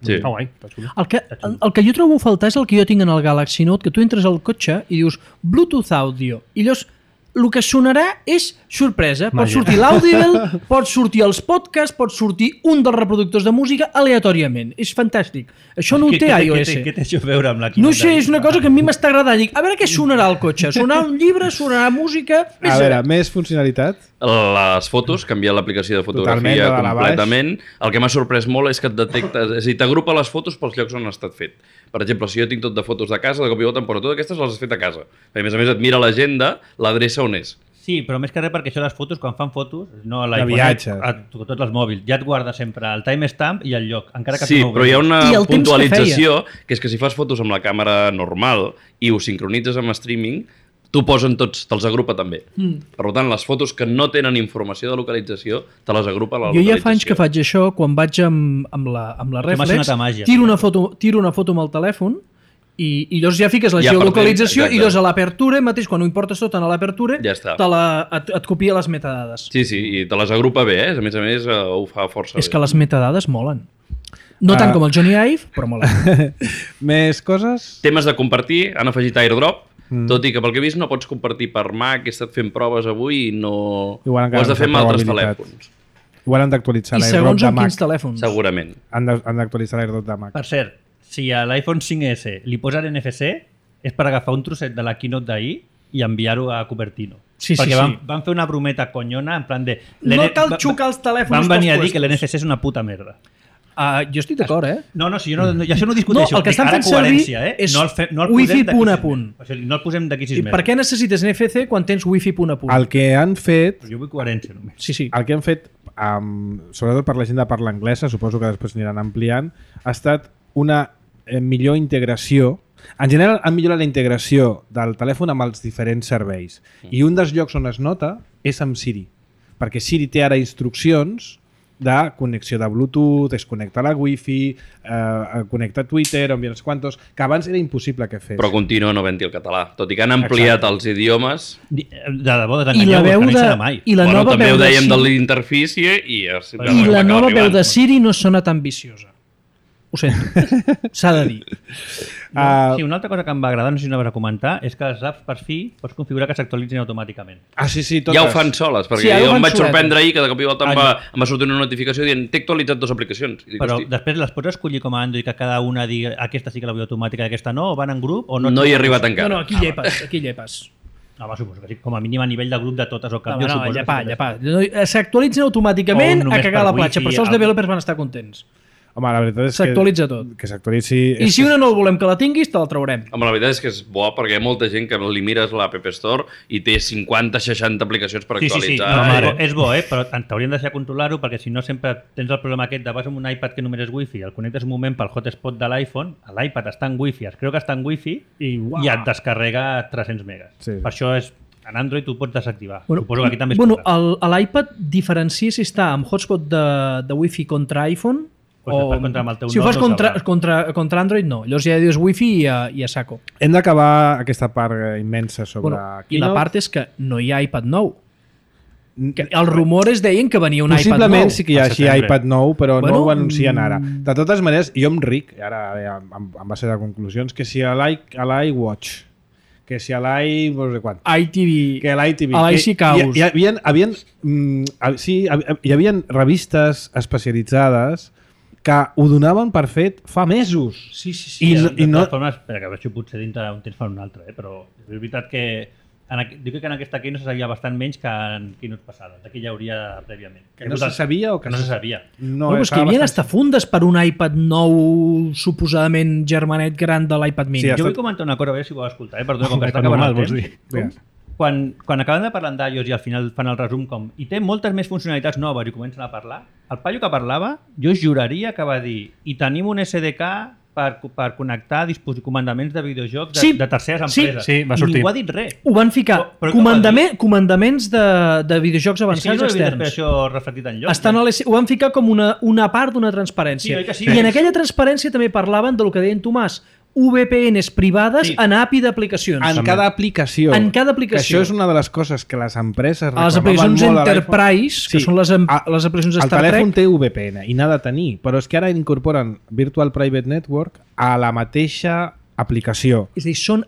Sí.
Està guai. Està xulo.
El que jo trobo a faltar és el que jo tinc en el Galaxy Note, que tu entres al cotxe i dius Bluetooth Audio, i llavors el que sonarà és sorpresa. Pot
Màgia.
sortir l'Audible, pot sortir els podcasts, pot sortir un dels reproductors de música aleatòriament. És fantàstic. Això no ho té iOS.
Què té això a veure amb la
No sé, és una cosa que a mi m'està agradant. Dic, a veure què sonarà al cotxe. Sonarà un llibre, sonarà música...
A veure, més funcionalitat.
Les fotos, canviar l'aplicació de fotografia
Totalment, de dalt a baix.
completament. El que m'ha sorprès molt és que et detecta, és a dir, t'agrupa les fotos pels llocs on han estat fet. Per exemple, si jo tinc tot de fotos de casa, de cop i volta em posa totes aquestes les has fet a casa. A més et mira l'agenda, l'adreça on és.
Sí, però més que res perquè això les fotos, quan fan fotos, no a
De
l'iPhone,
viatges.
tots els mòbils, ja et guarda sempre el timestamp i el lloc, encara que
Sí,
tu no ho
però hi ha
vegis.
una
I el temps que
puntualització, que és que si fas fotos amb la càmera normal i ho sincronitzes amb streaming, t'ho posen tots, te'ls agrupa també. Per tant, les fotos que no tenen informació de localització, te les agrupa la
Jo
localització.
ja fa anys que faig això, quan vaig amb la
m'ha
Reflex,
sonat a màgia.
tiro una foto amb el telèfon i llavors ja fiques la
Ja
geolocalització
exacte.
i llavors a l'apertura, mateix quan ho importes tot en l'apertura,
Ja està.
et copia les metadades.
Sí, i te les agrupa bé, A més, ho fa força
És
bé.
que les metadades molen. No tant com el Johnny Ive, però molen.
Més coses?
Temes de compartir, han afegit AirDrop, tot i que pel que he vist no pots compartir per Mac, he estat fent proves avui i no... Ho
Igual encara
has de
no
fer amb
té
altres
probabilitat.
telèfons,
Igual han d'actualitzar
I
l'AirDrop
segons
de
amb
Mac.
quins telèfons.
segurament.
Han d'actualitzar l'AirDrop de Mac.
Per cert, si a l'iPhone 5S li posen NFC, és per agafar un trosset de la keynote d'ahir i enviar-ho a Cupertino.
Sí,
Perquè
sí.
van fer una brometa conyona en plan de...
No cal xucar els telèfons
Van venir a
pels
dir que
puestos.
l'NFC és una puta merda.
Jo estic d'acord,
No, si jo no, això no
No,
discuteixo.
el que estan
Dic, ara
fent servir
coherència,
és
no el
Wi-Fi
posem d'aquí
punt a
6
punt.
mesos. O sigui, no el posem d'aquí 6
I
mesos.
per què necessites NFC quan tens Wi-Fi punt a punt?
El que han fet,
Jo vull coherència només.
Sí.
el que han fet sobretot per la gent de parla anglesa, suposo que després aniran ampliant, ha estat una millor integració En general han millorat la integració del telèfon amb els diferents serveis i un dels llocs on es nota és amb Siri, perquè Siri té ara instruccions de connexió de Bluetooth, es connecta a la Wi-Fi, connecta a Twitter, envia uns quantos, que abans era impossible que fes.
Però continua no havent-hi el català. Tot i que han ampliat els idiomes...
De debò, desenganyeu-vos, que no hi serà mai.
I la
Bueno,
nova
també
veu
ho
de
dèiem de
Siri,
l'interfície i...
i la nova veu de Siri no sona tan viciosa. Ho sento, s'ha de dir.
Sí, una altra cosa que em va agradar, no sé si anaves a comentar, és que les apps per fi pots configurar que s'actualitzin automàticament.
Sí, totes.
Ja ho fan soles, perquè
Sí, ara ho
jo
fan
em vaig
soletes.
sorprendre ahir que de cop i volta em va sortir una notificació dient t'he actualitzat 2 aplicacions. I dic,
Però
hosti,
després les pots escollir com a Android que cada una digui aquesta sí que la vull automàtica i aquesta no, o van en grup o no?
no hi he arribat
No,
encara.
no, aquí llepes.
Home, suposo que sí, com a mínim a nivell de grup de totes o cap.
No,
jo suposo que
llepar.
sí.
S'actualitzen
O
automàticament
només
a cagar
per
la platja,
wifi,
per això els
algo.
developers van estar contents.
Home, la veritat és
S'actualitza tot.
que s'actualitzi...
I si una no el volem que la tinguis, te la traurem.
Home, la veritat és que és bo perquè hi ha molta gent que li mires l'App Store i té 50-60 aplicacions per
Sí,
actualitzar.
no, és bo, però t'haurien de deixar controlar-ho perquè si no sempre tens el problema aquest de vas amb un iPad que només és Wi-Fi, el connectes un moment pel hotspot de l'iPhone, l'iPad està en Wi-Fi, es creu que està en Wi-Fi i et descarrega 300 megas.
Sí.
Per això és en Android tu pots desactivar. Suposo que aquí també es
bueno,
podrà.
l'iPad diferencia si està amb hotspot de Wi-Fi contra iPhone
Pues
o...
després contra amb el teu
si ho
nord
fas
no
contra Android, no. Llavors ja dius Wi-Fi i a saco.
Hem d'acabar aquesta part immensa sobre
I la
Keynote.
part és que no hi ha iPad nou. Que els rumores deien que venia un iPad nou.
Possiblement sí que hi ha
al
així
setembre.
iPad nou, però
Bueno,
no ho anuncien ara. De totes maneres, jo em ric, ara em va ser de conclusions, que si a l'iWatch, que si a no sé quant,
iTV,
que a l'ITV,
a l'IC Caus.
hi havia revistes especialitzades que ho donaven per fet fa mesos.
Sí.
I
De
no-
totes formes, espera, que això potser dintre un temps fa un altre, però és veritat que dic que en aquesta aquí no se sabia bastant menys que en keynotes passades. Aquí ja hauria prèviament.
Que no se sabia o
que no se sabia.
No,
Bueno, és que hi havia hasta fundes per un iPad nou, suposadament germanet gran de l'iPad mini.
Sí,
Jo
estat-
vull comentar una cosa, a veure si ho vas escoltar, perdona, com que està
iPad
acabant
normal,
el
vols
temps.
dir?
Quan acaben de parlar d'iOS i al final fan el resum com i té moltes més funcionalitats noves i comencen a parlar, el paio que parlava, jo juraria que va dir i tenim un SDK per connectar comandaments de videojocs de terceres
Sí,
empreses.
sí, va
I
sortir.
ningú ha dit res.
Ho van ficar.
Però què va dir?
Comandaments de videojocs
És que jo
avançats
no he vist després
externs.
això reflectit enlloc.
Estan ho van ficar com una part d'una transparència.
Sí, oi que sí?
I en aquella transparència també parlaven del que deien Tomàs, VPNs privades
Sí.
en API d'aplicacions.
En cada aplicació.
En cada aplicació.
Que això és una de les coses que les empreses
A les
reclamaven
aplicacions
molt a l'iPhone.
Enterprise, que són les aplicacions de
El
Star
telèfon
Trek.
té VPN i n'ha de tenir, però és que ara incorporen Virtual Private Network a la mateixa aplicació.
És a dir, són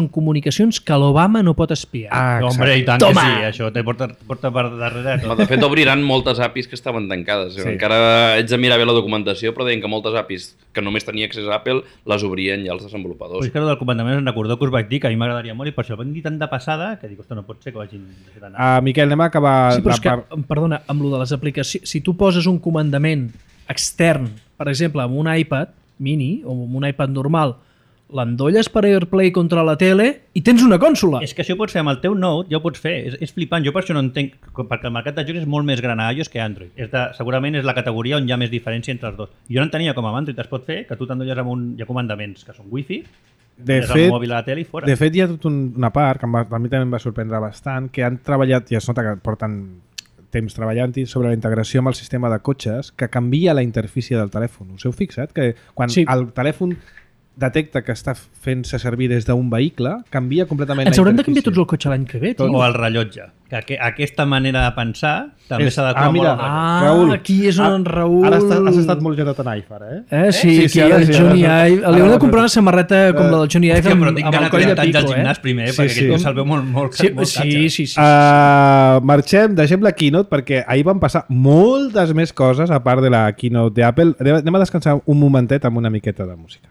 comunicacions que l'Obama no pot espiar.
Ah,
Hombre, i tant
Toma!
que sí, això te porta per darrere tot.
De fet, obriran moltes APIs que estaven tancades.
Sí.
Encara haig de mirar bé la documentació, però deien que moltes APIs que només tenia accés a Apple les obrien ja els desenvolupadors.
Pues és que del comandament em recordeu que us vaig dir que a mi m'agradaria molt i per això el vam dir tant de passada que dic, ostres, no pot ser que ho hagin fet anar.
Miquel, anem a acabar
Sí, però és que,
part...
perdona, amb lo de les aplicacions, si tu poses un comandament extern, per exemple, amb un iPad mini o amb un iPad normal, l'endolles per AirPlay contra la tele i tens una consola.
És que això ho pots fer amb el teu Note, ja ho pots fer. És flipant, jo per això no entenc, perquè el mercat de jocs és molt més gran a iOS que a Android. Segurament és la categoria on hi ha més diferència entre els dos. Jo no entenia com amb Android es pot fer, que tu t'endolles amb hi ha comandaments que són Wi-Fi,
De
és
fet,
el mòbil a la tele i fora.
De fet, hi ha tota una part que a mi també em va sorprendre bastant, que han treballat, i es nota que porten temps treballant-hi, sobre la integració amb el sistema de cotxes, que canvia la interfície del telèfon. Us heu fixat? Que quan
Sí.
el telèfon detecta que està fent-se servir des d'un vehicle, canvia completament
Ens
la
haurem de
interfície.
canviar tots el cotxe l'any que ve, tio.
O el rellotge. Que aquesta manera de pensar també
És-
s'ha de
mira,
Ah, aquí és on en Raül...
Ara has estat molt gerat en iPhone,
Sí,
Sí,
aquí
ara
el
sí,
Johnny
ara sí.
Ive. Li hem de comprar una samarreta com la del Johnny Ive
Hòstia, però tinc
amb el
ganes
coll
de
de
tancar
pico,
al gimnàs primer, perquè
Sí,
aquest tio
sí.
se'l veu molt
Sí,
molt
sí.
Marxem, deixem la keynote perquè ahir van passar moltes més coses a part de la keynote d'Apple. Anem a descansar un momentet amb una miqueta de música.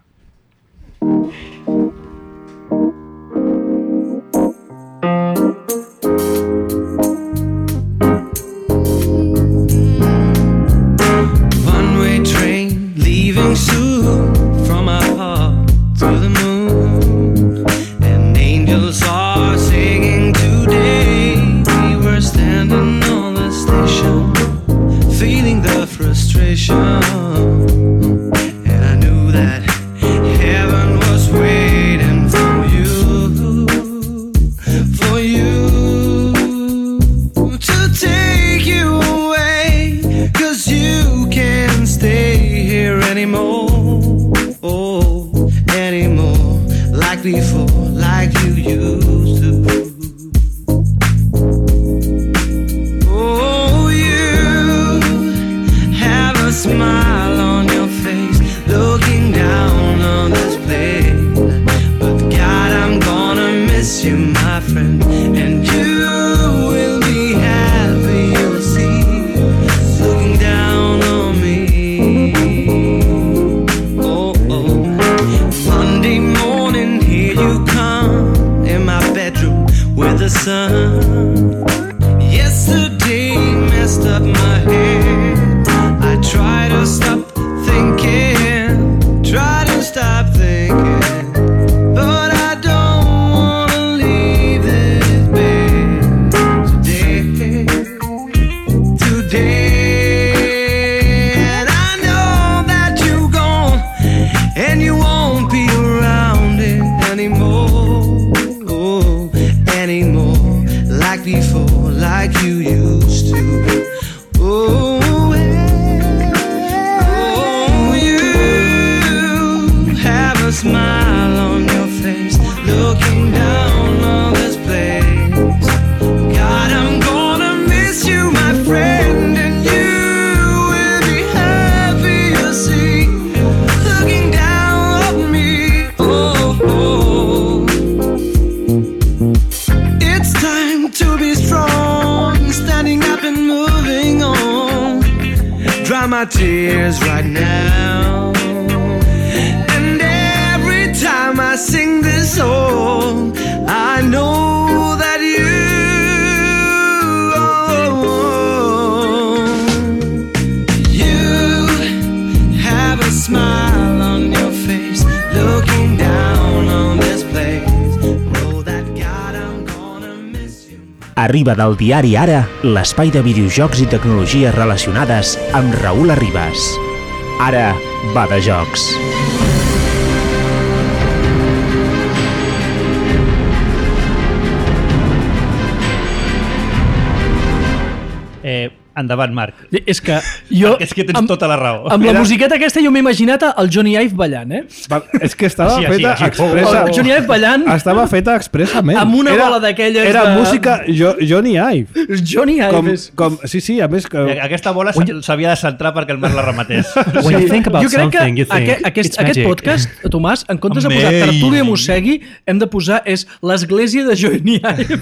One-way train leaving soon from our heart to the moon, and angels are singing today. We were standing on the station, feeling the frustration, and I knew that miss you, my friend, and you will be happy, you'll see, looking down on me. Oh, oh. Monday morning, here you come in my bedroom with the sun. Yesterday messed up my head. I try to stop thinking, try to stop thinking, but I don't wanna leave this bed today. And I know that you're gone and you won't be around it anymore, oh, anymore, like before, like you used to. Oh, a smile on your face, looking down on this place. God, I'm gonna miss you, my friend, and you will be happy to see, looking down on me. Oh, oh. It's time to be strong, standing up and moving on. Dry my tears right now. Time I sing this song, I know that you have a smile on your face, looking down on this place. Know that God, I'm gonna miss you.
Arriba del diari Ara, l'espai de videojocs i tecnologies relacionades amb Raül Arribas. Ara va de jocs.
Endavant, Marc.
És que jo...
És que tens tota la raó.
Amb la musiqueta aquesta jo m'he imaginat el Johnny Ive ballant, eh?
És que estava
Així,
feta
així.
expressa.
El Johnny Ive ballant
Estava feta expressament.
amb una bola d'aquelles
Era
de...
música Johnny Ive.
Johnny Ive és...
Sí, a més que...
Aquesta bola s'havia de centrar perquè el Marc la rematés.
When you think about
Jo crec que
something, you think
aquest
it's magic.
podcast, Tomàs, en comptes de posar
Amazing.
Tertúlia Mossegui, hem de posar és l'església de Johnny Ive.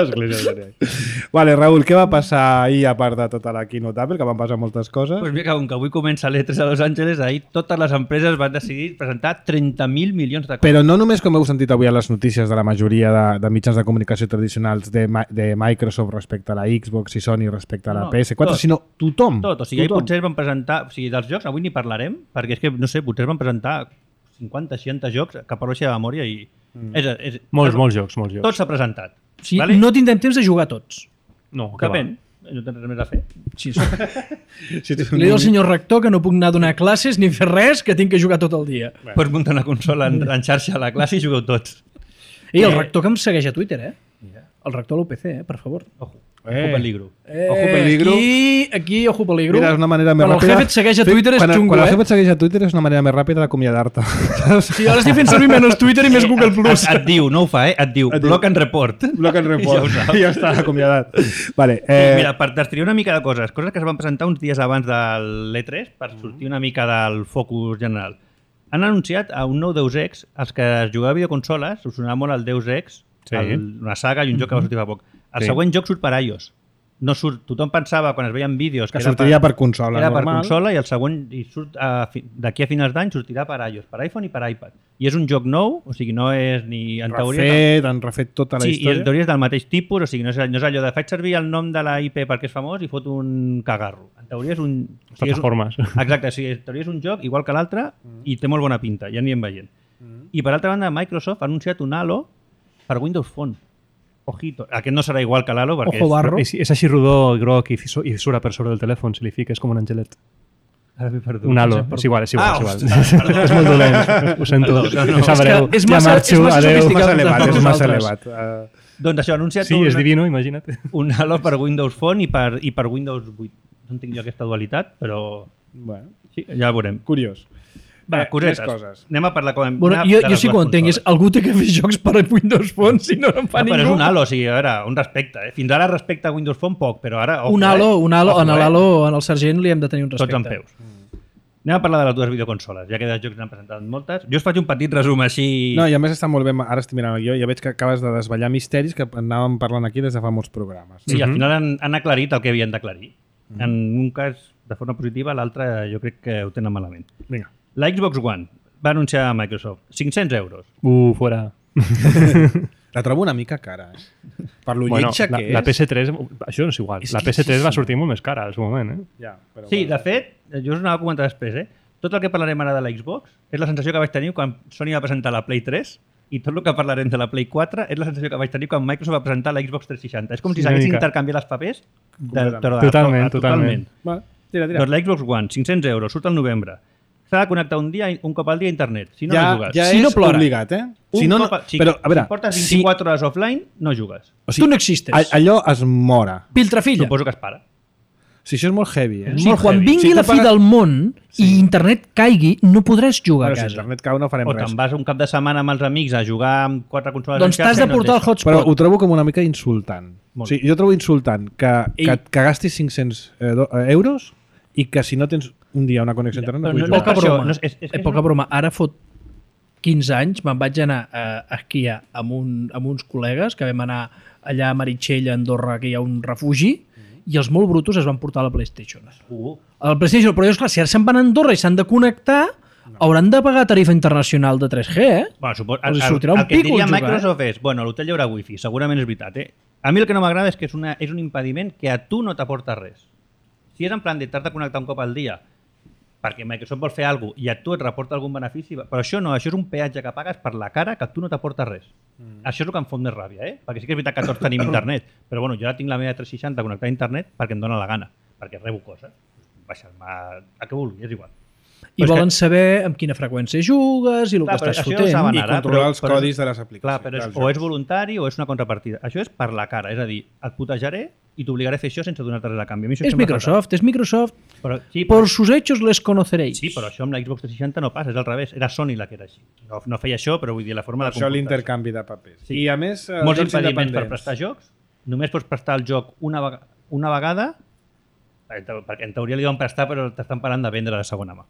Església de Johnny Ive. Vale, Raül, què va passar ahir a part de tota la keynote Apple, que van passar moltes coses?
Pues mira, com que avui comença l'E3 a Los Angeles, ahir totes les empreses van decidir presentar 30.000 milions de coses.
Però no només, com heu sentit avui a les notícies de la majoria de mitjans de comunicació tradicionals de Microsoft respecte a la Xbox i Sony respecte a la PS4,
tot.
sinó tothom.
Tot, o sigui, ahir potser van presentar... O sigui, dels jocs avui ni parlarem, perquè és que, no sé, potser van presentar 50-60 jocs que parlo així de memòria i...
Molts jocs.
Tot s'ha presentat.
Sí, vale? No tindrem temps de jugar tots.
No, que va.
Depèn. No tens res més a fer.
Sí, sí. Li diu al senyor rector que no puc anar a donar classes ni fer res, que tinc que jugar tot el dia.
Pots muntar una consola en xarxa a la classe i jugueu tots.
I el rector que em segueix a Twitter, eh? El rector de l'UPC, per favor.
Ojo peligro.
Ojo peligro.
Aquí, ojo peligro.
Mira, és una manera més
Quan
ràpida.
el jefe et segueix a Twitter és xungo,
Quan el
eh?
jefe et segueix a Twitter és una manera més ràpida d'acomiadar-te.
Sí, ara estic fent servir menys Twitter i més Google+.
Et diu, no ho fa, et diu block and report.
Block and report. I ja està, acomiadat. Vale,
Mira, per destriar una mica de coses que es van presentar uns dies abans de l'E3 per sortir una mica del focus general. Han anunciat a un nou Deus Ex. Els que es jugava a videoconsoles us sonava molt el Deus Ex, una saga i un joc que va sortir fa poc. El següent joc surt per iOS. No surt, tothom pensava quan es veien vídeos
que sortiria per consola
era
normal.
per consola i el següent surt d'aquí a finals d'any sortirà per iOS, per iPhone i per iPad. I és un joc nou, o sigui, no és ni... En teoria,
han refet tota la
sí,
història.
I en teoria és del mateix tipus, o sigui, no és allò de faig servir el nom de la IP perquè és famós i fot un cagarro. En teoria és un...
Plataformes.
Exacte, o sigui, en teoria és un joc igual que l'altre i té molt bona pinta, ja anirem veient. I per altra banda, Microsoft ha anunciat un Halo per Windows Phone. Ojito, aquest no serà igual que l'Halo perquè
Ojo barro.
És així rodó i groc i surt per sobre del telèfon, si li fiques com un angelet.
Ara m'he perdut.
Un Halo, és igual.
Ostres,
És molt dolent, ho sento. Em sap greu.
És massa
sofisticat. És massa elevat.
Doncs això, ha anunciat
Sí, és divino, imagina't.
un Halo per Windows Phone i per Windows 8. No entenc jo aquesta dualitat, però
Bueno,
sí, ja ho veurem.
curiós.
Va, cosetes.
més coses.
Anem a parlar com...
Bueno, jo sí que ho entenc, és algú té que fer jocs per Windows Phone, si no en fa
Però és
ningú.
un Halo, o sigui, a veure, un respecte. Fins ara respecte a Windows Phone poc, però ara... Ojo,
Un Halo,
ojo,
en l'Halo, en el sergent li hem de tenir un respecte.
Tots en peus. Anem a parlar de les dues videoconsoles, ja que de jocs n'han presentat moltes. Jo us faig un petit resum així...
No, i a més està molt bé, ara estic mirant el guió, ja veig que acabes de desvetllar misteris que anàvem parlant aquí des de fa molts programes.
Sí, al final han aclarit el que havien d'aclarir. En un cas de forma positiva, l'altre jo crec que ho tenen malament.
Vinga.
La Xbox One va anunciar a Microsoft 500 euros.
Fuera.
La trobo una mica cara, Per lo lletja que és.
La PS3, això no és igual. La PS3 va sortir molt més cara al seu moment,
Ja, però
Sí, de fet, jo us anava a comentar després, tot el que parlarem ara de la Xbox és la sensació que vaig tenir quan Sony va presentar la Play 3 i tot el que parlarem de la Play 4 és la sensació que vaig tenir quan Microsoft va presentar la Xbox 360. És com si s'haguessin intercanviat els papers.
Totalment.
Va, tira.
Doncs la Xbox One, 500 euros, surt al novembre. S'ha de connectar un cop al dia a internet. Si no, no jugues.
Ja
Si no
és
plora.
obligat, Si no, però, a veure,
si portes 24 hores offline, no jugues.
o
Tu no existes.
Allò es mora.
Piltrafilla.
Suposo que es para.
Si això és molt heavy,
O sigui, quan vingui
Si tu
la fi
pagues-
del món i internet caigui, no podràs jugar
Bueno,
a
si
casa.
internet cau no farem
O
res.
te'n vas un cap de setmana amb els amics a jugar amb 4 consoles
Doncs
en
t'has
xarxa
de
i no et
portar el
deixa.
hotspot.
Però ho trobo com una mica insultant.
Molt.
Sí, jo trobo insultant que gastis 500 euros i que si no tens un dia una connexió a internet no
Però
puguis
no-
jugar.
Poca
per això,
broma.
no és que
Poca broma. Ara fot 15 anys me'n vaig anar a esquiar amb uns col·legues que vam anar allà a Meritxell, a Andorra, que hi ha un refugi, i els molt brutos es van portar a la PlayStation. A la PlayStation, però llavors, clar, si ara se'n van a Andorra i s'han de connectar, hauran de pagar tarifa internacional de 3G,
Bueno,
Els sortirà un
el que
pico
diria
jugar,
Microsoft és, bueno, a l'hotel hi haurà wifi, segurament és veritat, A mi el que no m'agrada és que és un impediment que a tu no t'aporta res. Si és en plan de t'has de connectar un cop al dia perquè Microsoft vol fer alguna cosa i a tu et reporta algun benefici, però això no, això és un peatge que pagues per la cara que a tu no t'aporta res. Això és el que em fot més ràbia, Perquè sí que és veritat que tots tenim internet, però bueno, jo ara tinc la meva 360 connectada a internet perquè em dóna la gana, perquè rebo coses. Baixar-me a què vulgui, és igual.
i
Però és
volen saber amb quina freqüència jugues i el
Clar,
que
però
estàs
això ja ho
fotent.
saben
I
ara,
controlar els
però-
codis de les aplicacions.
Clar, però
dels
o és
jocs.
voluntari o és una contrapartida. Això és per la cara, és a dir, et putejaré i t'obligaré a fer això sense donar-te res a canvi. A mi això
És
sempre m'ha
Microsoft.
faltat. Però, sí, però,
Por sus hechos les conoceréis.
sí, però això amb la Xbox 360 no passa, és al revés. Era Sony la que era així. No feia això, però vull dir, la forma de
Això
comportar-se.
l'intercanvi de papers.
Sí.
I a més,
Molts
jocs
impediments per
independents.
prestar jocs. Només pots prestar el joc una vegada, perquè en teoria li van prestar, però t'estan parlant de vendre de segona mà.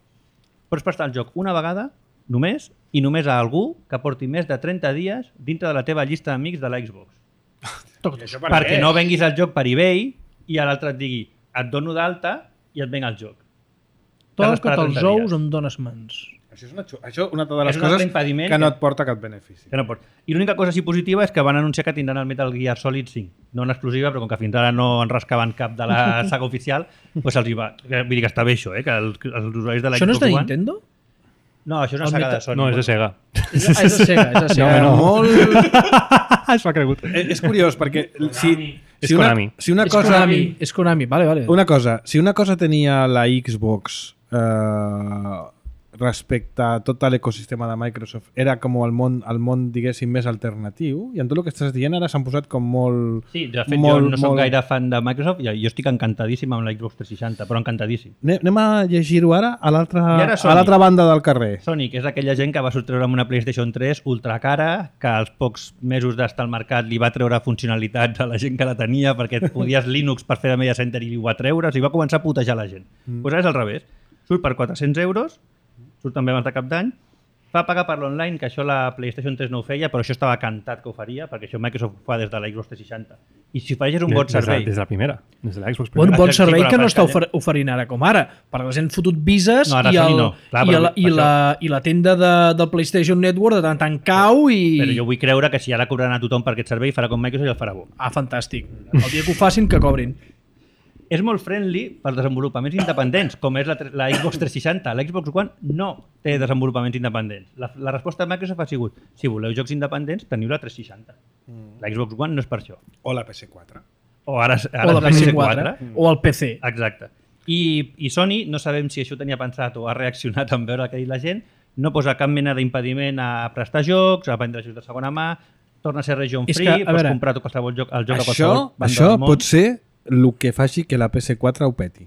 Pots prestar el joc una vegada, només, i només a algú que porti més de 30 dies dintre de la teva llista d'amics de la Xbox. Perquè no venguis el joc per eBay i a l'altre et digui et dono d'alta i et venc el joc. T'has d'esperar
Toca't els
30
ous,
dies.
em dones mans.
Això és una de les
És un altre
coses
impediment
que no
que-
et porta cap benefici.
Que no pot. I l'única cosa així positiva és que van anunciar que tindran el Metal Gear Solid 5. No en exclusiva, però com que fins ara no en rascaven cap de la saga oficial, doncs els hi va. Vull dir que està bé això, que els usuaris de la
Això no és
Xbox
de
One...
Nintendo?
No, això és una
El
saga
Metal-
de Sony.
No, és de Sega.
És de Sega, és de Sega.
No.
Molt...
Es m'ha cregut.
és curiós, perquè
És Konami.
si una
És
cosa...
Konami, és Konami, vale.
Si una cosa tenia la Xbox respecte a tot l'ecosistema de Microsoft era com el món diguéssim, més alternatiu, i en tot el que estàs dient ara s'han posat com molt...
Sí, de fet, jo no soc gaire fan de Microsoft i jo estic encantadíssim amb la Xbox 360, però encantadíssim.
Anem a llegir-ho ara a
I ara Sony.
l'altra banda del carrer.
Sonic és aquella gent que va sortreure amb una PlayStation 3 ultra cara, que als pocs mesos d'estar al mercat li va treure funcionalitats a la gent que la tenia perquè podies Linux per fer de media center i li ho va treure, o sigui, va començar a putejar la gent. Doncs ara és al revés. Surt per 400 euros, surt també abans de cap d'any, fa pagar per l'online, que això la PlayStation 3 no ho feia, però això estava cantat que ho faria, perquè això Microsoft ho fa des de la Xbox 360. I si ofereixes un bon servei...
Des de la primera. Des de la Xbox
Bon,
primera.
bon
Sí,
servei
però
que no
la
està
pantalla-
oferint ara com ara, perquè els han fotut vises
No, ara
i,
Sony no. Clar, però
i la tenda del PlayStation Network de tant en tant cau i...
Però jo vull creure que si ara cobraran a tothom per aquest servei, farà com Microsoft i el farà bo.
Ah, fantàstic. El dia que ho facin, que cobrin.
És molt friendly pels desenvolupaments independents, com és la Xbox 360. La Xbox One no té desenvolupaments independents. La resposta de Microsoft ha sigut, si voleu jocs independents, teniu la 360. La Xbox One no és per això.
O la PS4.
O ara
O la PS4, o el PC.
Exacte. I Sony, no sabem si això ho tenia pensat o ha reaccionat en veure el que ha dit la gent, no posa cap mena d'impediment a prestar jocs, a vendre jocs de segona mà, torna a ser region
És
free,
que, a
pots
veure,
comprar qualsevol joc, el joc a qualsevol banda
Això
del món.
pot ser el que faci que la PS4 ho peti.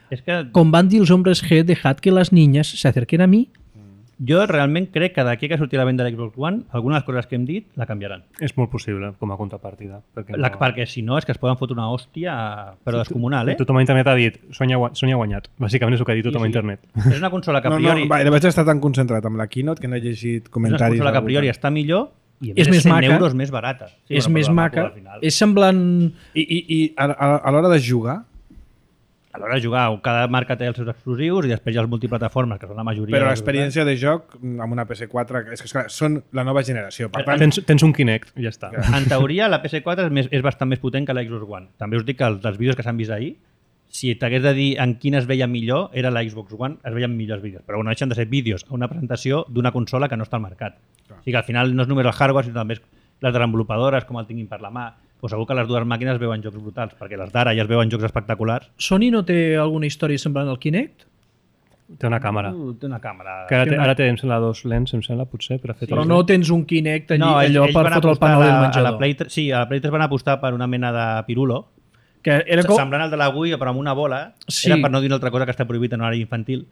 És que
Com van dir els hombres G, dejad que las niñas se acerquen a mí.
Jo realment crec que d'aquí que surti la venda de l'Xbox One, algunes de les coses que hem dit la canviaran.
És molt possible, com a contrapartida. Perquè,
Perquè si no és que es poden fotre una hòstia, però descomunal, eh?
Tothom a internet ha dit Sony ha guanyat. Bàsicament és el que ha dit tothom a internet.
És una consola que a priori...
Vaig estar tan concentrat amb la keynote que no he llegit
és una
comentaris.
consola que a priori està millor i a
És
més
més
100
maca.
euros més barata. Sí,
És
bueno,
més
però la
maca,
al final.
és semblant...
I a l'hora de jugar,
A l'hora de jugar, cada marca té els seus exclusius i després hi ha els multiplataformes, que són la majoria.
però
dels
l'experiència de joc amb una PS4 és que esclar, són la nova generació. Per tant,
Tens un Kinect i ja està.
En teoria, la PS4 és bastant més potent que la Xbox One. També us dic que dels vídeos que s'han vist ahir, si t'hagués de dir en quina es veia millor, era la Xbox One, es veien millors vídeos. Però bueno, deixen de ser vídeos a una presentació d'una consola que no està al mercat. O sigui que al final no és només el hardware, sinó també les desenvolupadores, com el tinguin per la mà. Pues segur que les dues màquines veuen jocs brutals, perquè les d'ara ja es veuen jocs espectaculars.
Sony no té alguna història semblant al Kinect?
Té una càmera.
Té una càmera...
Que ara té, em sembla, 2 lents, em sembla, potser, per a fer
Però no tens un Kinect allò per
van
fotre el
apostar
panel del
a la
menjador.
Play 3, sí, a la Play 3 van apostar per una mena de pirulo,
Que era com...
semblant al de la Wii, però amb una bola.
Sí.
Era per no dir una altra cosa que està prohibit en horari infantil,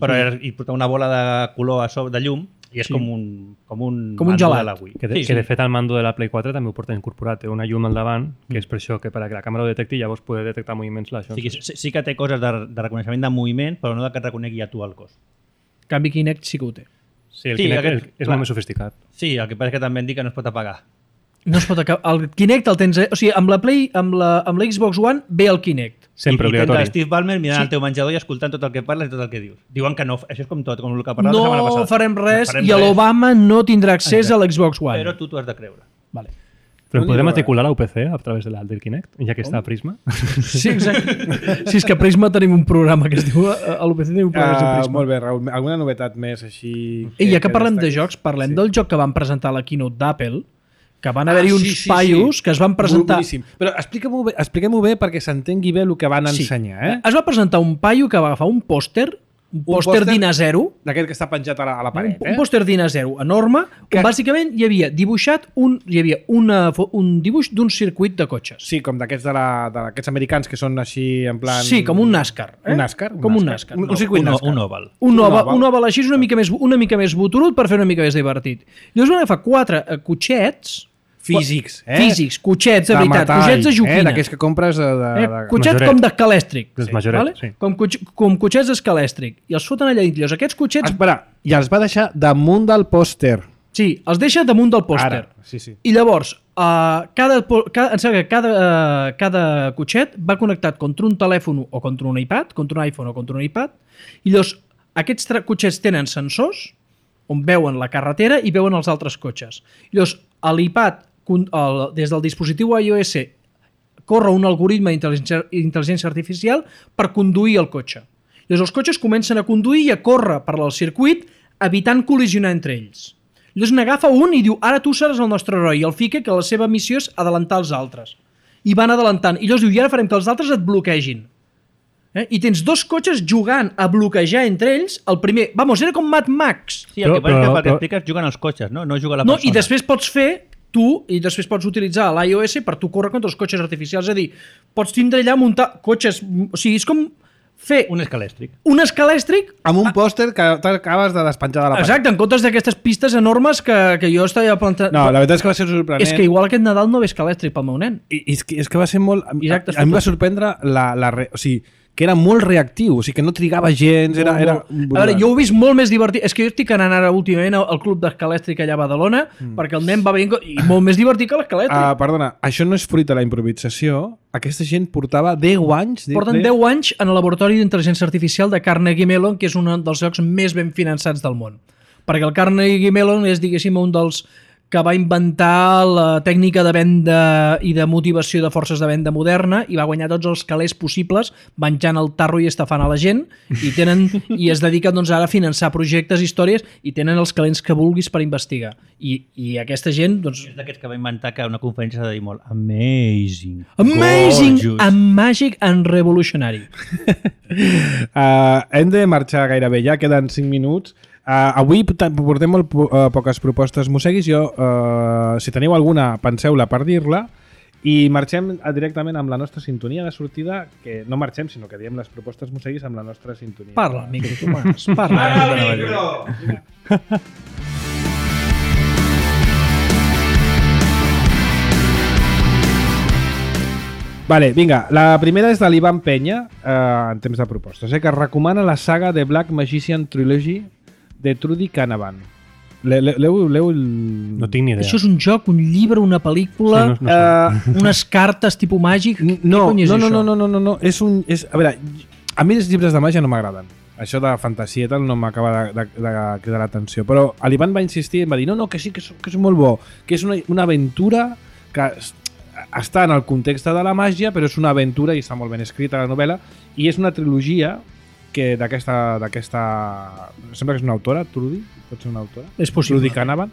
però i portar una bola de color a sobre, de llum, i és com un mando
gelat.
de la Wii.
Que de fet el mando de la Play 4 també ho porta incorporat, té una llum al davant, que és per això que perquè la càmera ho detecti llavors pode detectar moviments
O sigui, sí que té coses de reconeixement de moviment, però no de que et reconegui a tu el cos.
En canvi, Kinect sí que ho té.
Sí, el
Sí,
Kinect
aquest-
és
clar.
molt més sofisticat.
Sí, el que passa és que també em dic que no es pot apagar.
No es pot acabar. El Kinect el tens... O sigui, amb la Xbox One ve el Kinect.
Sempre
I tens
obligatori.
el Steve Ballmer mirant el teu menjador i escoltant tot el que parles i tot el que dius. Diuen que no, això és com tot, com el que parlàvem la setmana
No
passada.
farem res
No farem
i
res,
l'Obama no tindrà accés a l'Xbox One.
Però tu t'ho has de creure.
Vale.
Però podem matricular la UPC a través del Kinect, ja que està a Prisma?
Sí, exacte. Sí, és que a Prisma tenim un programa que es diu... A l'UPC tenim un programa que es diu Prisma.
molt bé, Raül. Alguna novetat més així...
I ja que parlem de
destaqui?
jocs, parlem del joc que van presentar a la keynote d'Apple, que van haver-hi uns
sí,
paios que es van presentar...
Boníssim. Però expliquem-ho bé perquè s'entengui bé el que van ensenyar. Eh?
Es va presentar un paio que va agafar un pòster d'Ina 0,
D'aquest que està penjat a la paret.
un pòster d'Ina 0 enorme, que bàsicament hi havia dibuixat un dibuix d'un circuit de cotxes.
Sí, com d'aquests americans que són així en plan...
Sí, com un NASCAR.
Un NASCAR?
Com un NASCAR.
Un circuit NASCAR.
Un oval.
Un oval així és una mica més boturut per fer una mica més divertit. Llavors van agafar 4 cotxets
Físics,
físics, cotxets de veritat,
metall,
cotxets de joquina.
d'aquells que compres
Cotxets
Majoret.
com d'escalèstric.
Dels Majoret, sí.
Com cotxets d'escalèstric. I els foten allà dins. Llavors, aquests cotxets...
Espera, i els va deixar damunt del pòster.
Sí, els deixa damunt del pòster.
Ara, sí.
I llavors, em sembla que cada cotxet va connectat contra un telèfon o contra un iPad, contra un iPhone o contra un iPad, i llavors aquests cotxets tenen sensors on veuen la carretera i veuen els altres cotxes. I llavors, l'iPad, des del dispositiu iOS, corre un algoritme d'intel·ligència artificial per conduir el cotxe. Llavors, els cotxes comencen a conduir i a córrer per al circuit evitant col·lisionar entre ells. Llavors n'agafa un i diu, ara tu seràs el nostre heroi, i el fica que la seva missió és adelantar els altres. I van adelantant. I llavors diu, i ara farem que els altres et bloquegin. I tens 2 cotxes jugant a bloquejar entre ells. El primer, era com Mad Max.
Sí, el que passa és que
Però-
pel que expliques juguen els cotxes, no juga la
No,
persona.
i després pots fer després pots utilitzar l'iOS per tu córrer contra els cotxes artificials. És a dir, pots tindre allà muntar cotxes... O sigui, és com fer
Un escalèstric.
un escalèstric.
Amb un pòster que t'acabes de despenjar de la paret.
Exacte, en comptes d'aquestes pistes enormes que jo estava plantant...
No, la veritat és que va ser sorprenent.
És que igual aquest Nadal no ve escalèstric pel meu nen.
I és que va ser molt...
Exacte,
a mi em va sorprendre o sigui, que era molt reactiu, o sigui, que no trigava gens, era...
A veure, jo ho he vist molt més divertit. És que jo estic anant ara últimament al club d'escalèstric allà a Badalona perquè el nen va veient i molt més divertit que l'escalèstric.
Perdona, això no és fruit de la improvisació. Aquesta gent portava 10 anys...
Porten 10 anys en el laboratori d'intel·ligència artificial de Carnegie Mellon, que és un dels llocs més ben finançats del món. Perquè el Carnegie Mellon és, diguéssim, un dels que va inventar la tècnica de venda i de motivació de forces de venda moderna i va guanyar tots els calés possibles menjant el tarro i estafant a la gent i es dediquen doncs, ara a finançar projectes, històries i tenen els calents que vulguis per investigar. I aquesta gent... Doncs,
És d'aquests que va inventar que una conferència s'ha de dir molt amazing,
amazing,
gorgeous.
and magic and revolutionary.
Hem de marxar gairebé ja, queden 5 minuts. Avui portem molt poques propostes. Mosseguis, si teniu alguna, penseu-la per dir-la. I marxem directament amb la nostra sintonia de sortida, que no marxem, sinó que diem les propostes musseguis amb la nostra sintonia.
Parla, micro, Tomàs, parla.
Vale, vinga, la primera és de l'Ivan Penya, en temps de propostes, que recomana la saga de Black Magician Trilogy de Trudy Canavan.
No tinc ni idea.
Això és un joc, un llibre, una pel·lícula,
Sí, no
unes cartes tipus màgic?
No,
Què cony és això?
no. A veure, a mi els llibres de màgia no m'agraden. Això de fantasia i tal no m'acaba de cridar l'atenció. Però l'Ivan va insistir i em va dir no, que sí, que és molt bo, que és una aventura que està en el context de la màgia, però és una aventura i està molt ben escrita la novel·la, i és una trilogia que d'aquesta... Sembla que és una autora, Trudy? Pot ser una autora?
És possible.
Trudy Canavan.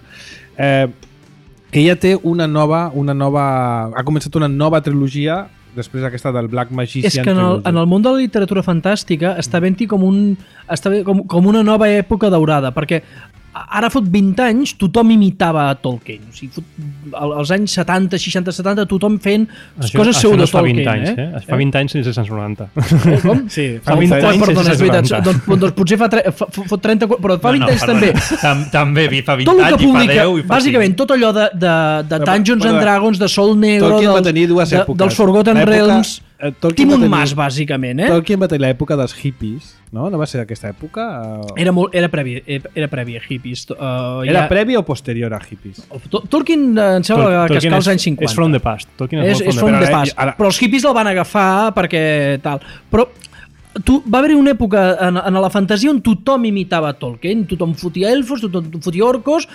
Que ja té una nova... Ha començat una nova trilogia després d'aquesta del Black Magician.
És que en el món de la literatura fantàstica està havent-hi com una nova època daurada, perquè ara fot 20 anys tothom imitava a Tolkien. O sigui, als anys 70, 60, 70 tothom fent coses seu de Tolkien.
Això fa 20 anys sense 190.
Com?
Sí,
fa 20 anys
Perdona, és veritat.
190.
Doncs potser fot 30... Però fa 20 anys també.
També fa 20
Tot el
anys
que
i fa
publica,
10 i fa
bàsicament, tot allò de Dungeons and Dragons, de Sol Negro,
Tolkien va tenir dues èpoques.
dels Forgotten Realms...
Tolkien
Tim
va
un
tenir-
mas, bàsicament,
Tolkien va tenir l'època dels hippies, no? No va ser aquesta època?
Era prèvia a hippies.
Era prèvia o posterior a hippies?
Tolkien em sembla que esclar als anys 50.
És from the past. Tolkien
És
molt
from the
past.
past. Però els hippies el van agafar perquè tal. Però va haver-hi una època en la fantasia on tothom imitava Tolkien, tothom fotia elfos, tothom fotia orcos,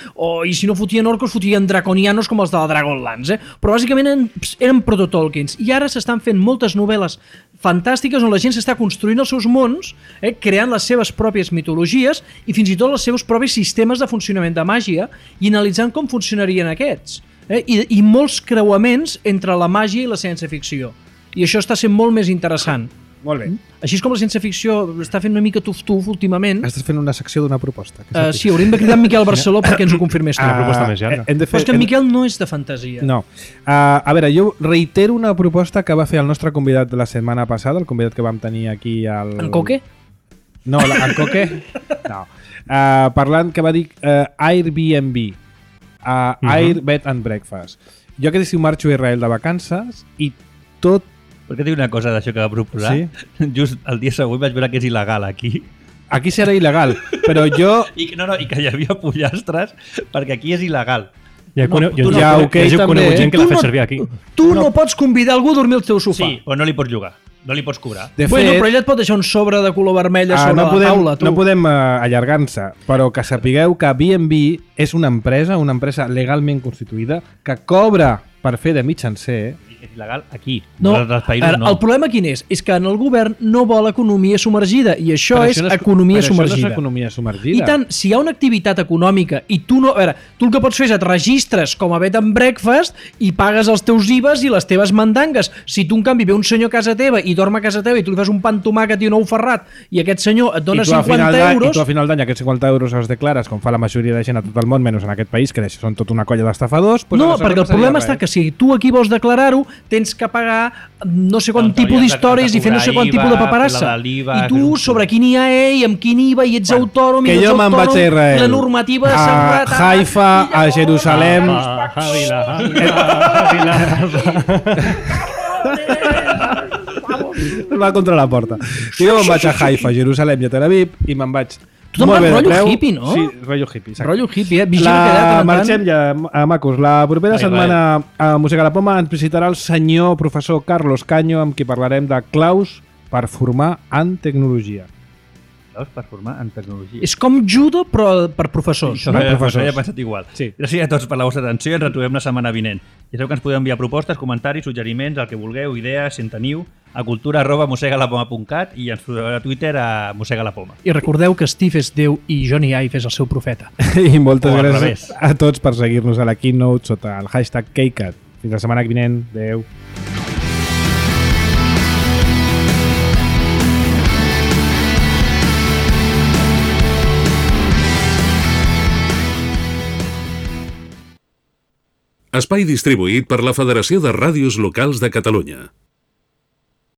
i si no fotien orcos, fotien draconianos com els de la Dragonlance. Però bàsicament eren proto-Tolkiens. I ara s'estan fent moltes novel·les fantàstiques on la gent s'està construint els seus mons, creant les seves pròpies mitologies i fins i tot els seus propis sistemes de funcionament de màgia i analitzant com funcionarien aquests. I molts creuaments entre la màgia i la ciència-ficció. I això està sent molt més interessant.
Molt bé.
Així és com la ciència-ficció està fent una mica tuf-tuf últimament.
Estàs fent una secció d'una proposta.
Sí, hauríem de cridar en Miquel Barceló perquè ens ho confirmés tot.
Una proposta més llarga.
Però és que en Miquel no és de fantasia.
No. A veure, jo reitero una proposta que va fer el nostre convidat de la setmana passada, el convidat que vam tenir aquí al...
En Coque?
No, en Coque? No. Parlant que va dir Airbnb, Air Bed and Breakfast. Jo aquest estiu marxo a Israel de vacances i tot...
Perquè tinc una cosa d'això que va proposar.
Sí?
Just el dia següent vaig veure que és il·legal aquí.
Aquí serà il·legal, però jo...
I que hi havia pollastres perquè aquí és il·legal.
Ja
tu no-
he conegut gent que l'ha
Tu
fet
no-
servir aquí.
Tu no pots convidar algú a dormir al teu sofà.
Sí, però no li pots llogar. No li pots cobrar.
De
Bueno,
fet,
però ella et pot deixar un sobre de color vermell a sobre
no
la taula. Tu.
no podem allargar-nos, però que sapigueu que B&B és una empresa legalment constituïda que cobra per fer de mitjancer.
És il·legal aquí.
No,
En altres països no.
el problema quin és? És que en el govern no vol economia submergida i això
Però
és
no
economia
però
submergida.
Això no és economia submergida.
I tant, si hi ha una activitat econòmica i tu no... A veure, tu el que pots fer és et registres com a bed and breakfast i pagues els teus IVAs i les teves mandangues. Si tu, en canvi, ve un senyor a casa teva i dorm a casa teva i tu li fas un pa amb tomàquet i un ou ferrat i aquest senyor et dona 50 euros...
I tu a final d'any aquests 50 euros els declares com fa la majoria de gent a tot el món, menys en aquest país, que són tota una colla d'estafadors... Doncs
No,
aleshores
perquè el
seria
problema
res.
està que si tu aquí vols declarar-ho, tens que pagar no sé quant
Doncs
tipus
hauries de
d'històries i fer no sé quant
cobrar
tipus de
IVA,
paperassa.
fer la de l'IVA,
I
fer
tu,
un-
sobre quin IVA i amb quin IVA, i ets autònom,
Que
i no ets
jo me'n vaig a
autònom,
Israel.
la normativa de
a
seguretat...
Haifa, a Jerusalem... Va contra la porta. I jo me'n vaig a Haifa, Jerusalem i a Tel Aviv i me'n vaig...
Tu te'n
molt
vas
bé de
rotllo
preu.
hippie, no?
Sí, rotllo hippie. exacte.
Rotllo hippie, vigila que allà tant en
Marxem ja, macos. La propera
Ai,
setmana a Música a la Poma ens visitarà el senyor professor Carlos Caño, amb qui parlarem de claus per formar en tecnologia.
Veus? Per formar en tecnologia.
És com judo, però per professors.
Això
No?
no? He pensat igual.
Sí.
Gràcies a tots per la vostra atenció i ens retrobem la setmana vinent. Ja sabeu que ens podeu enviar propostes, comentaris, suggeriments, el que vulgueu, idees, si en teniu, a cultura@mosegalapoma.cat i ens trobeu a Twitter a mosegalapoma.
I recordeu que Steve és Déu i Johnny Ive és el seu profeta.
I moltes
O al
gràcies
revés.
a tots per seguir-nos a la Keynote sota el hashtag KCAT. Fins la setmana vinent. Adéu.
Espai distribuït per la Federació de Ràdios Locals de Catalunya.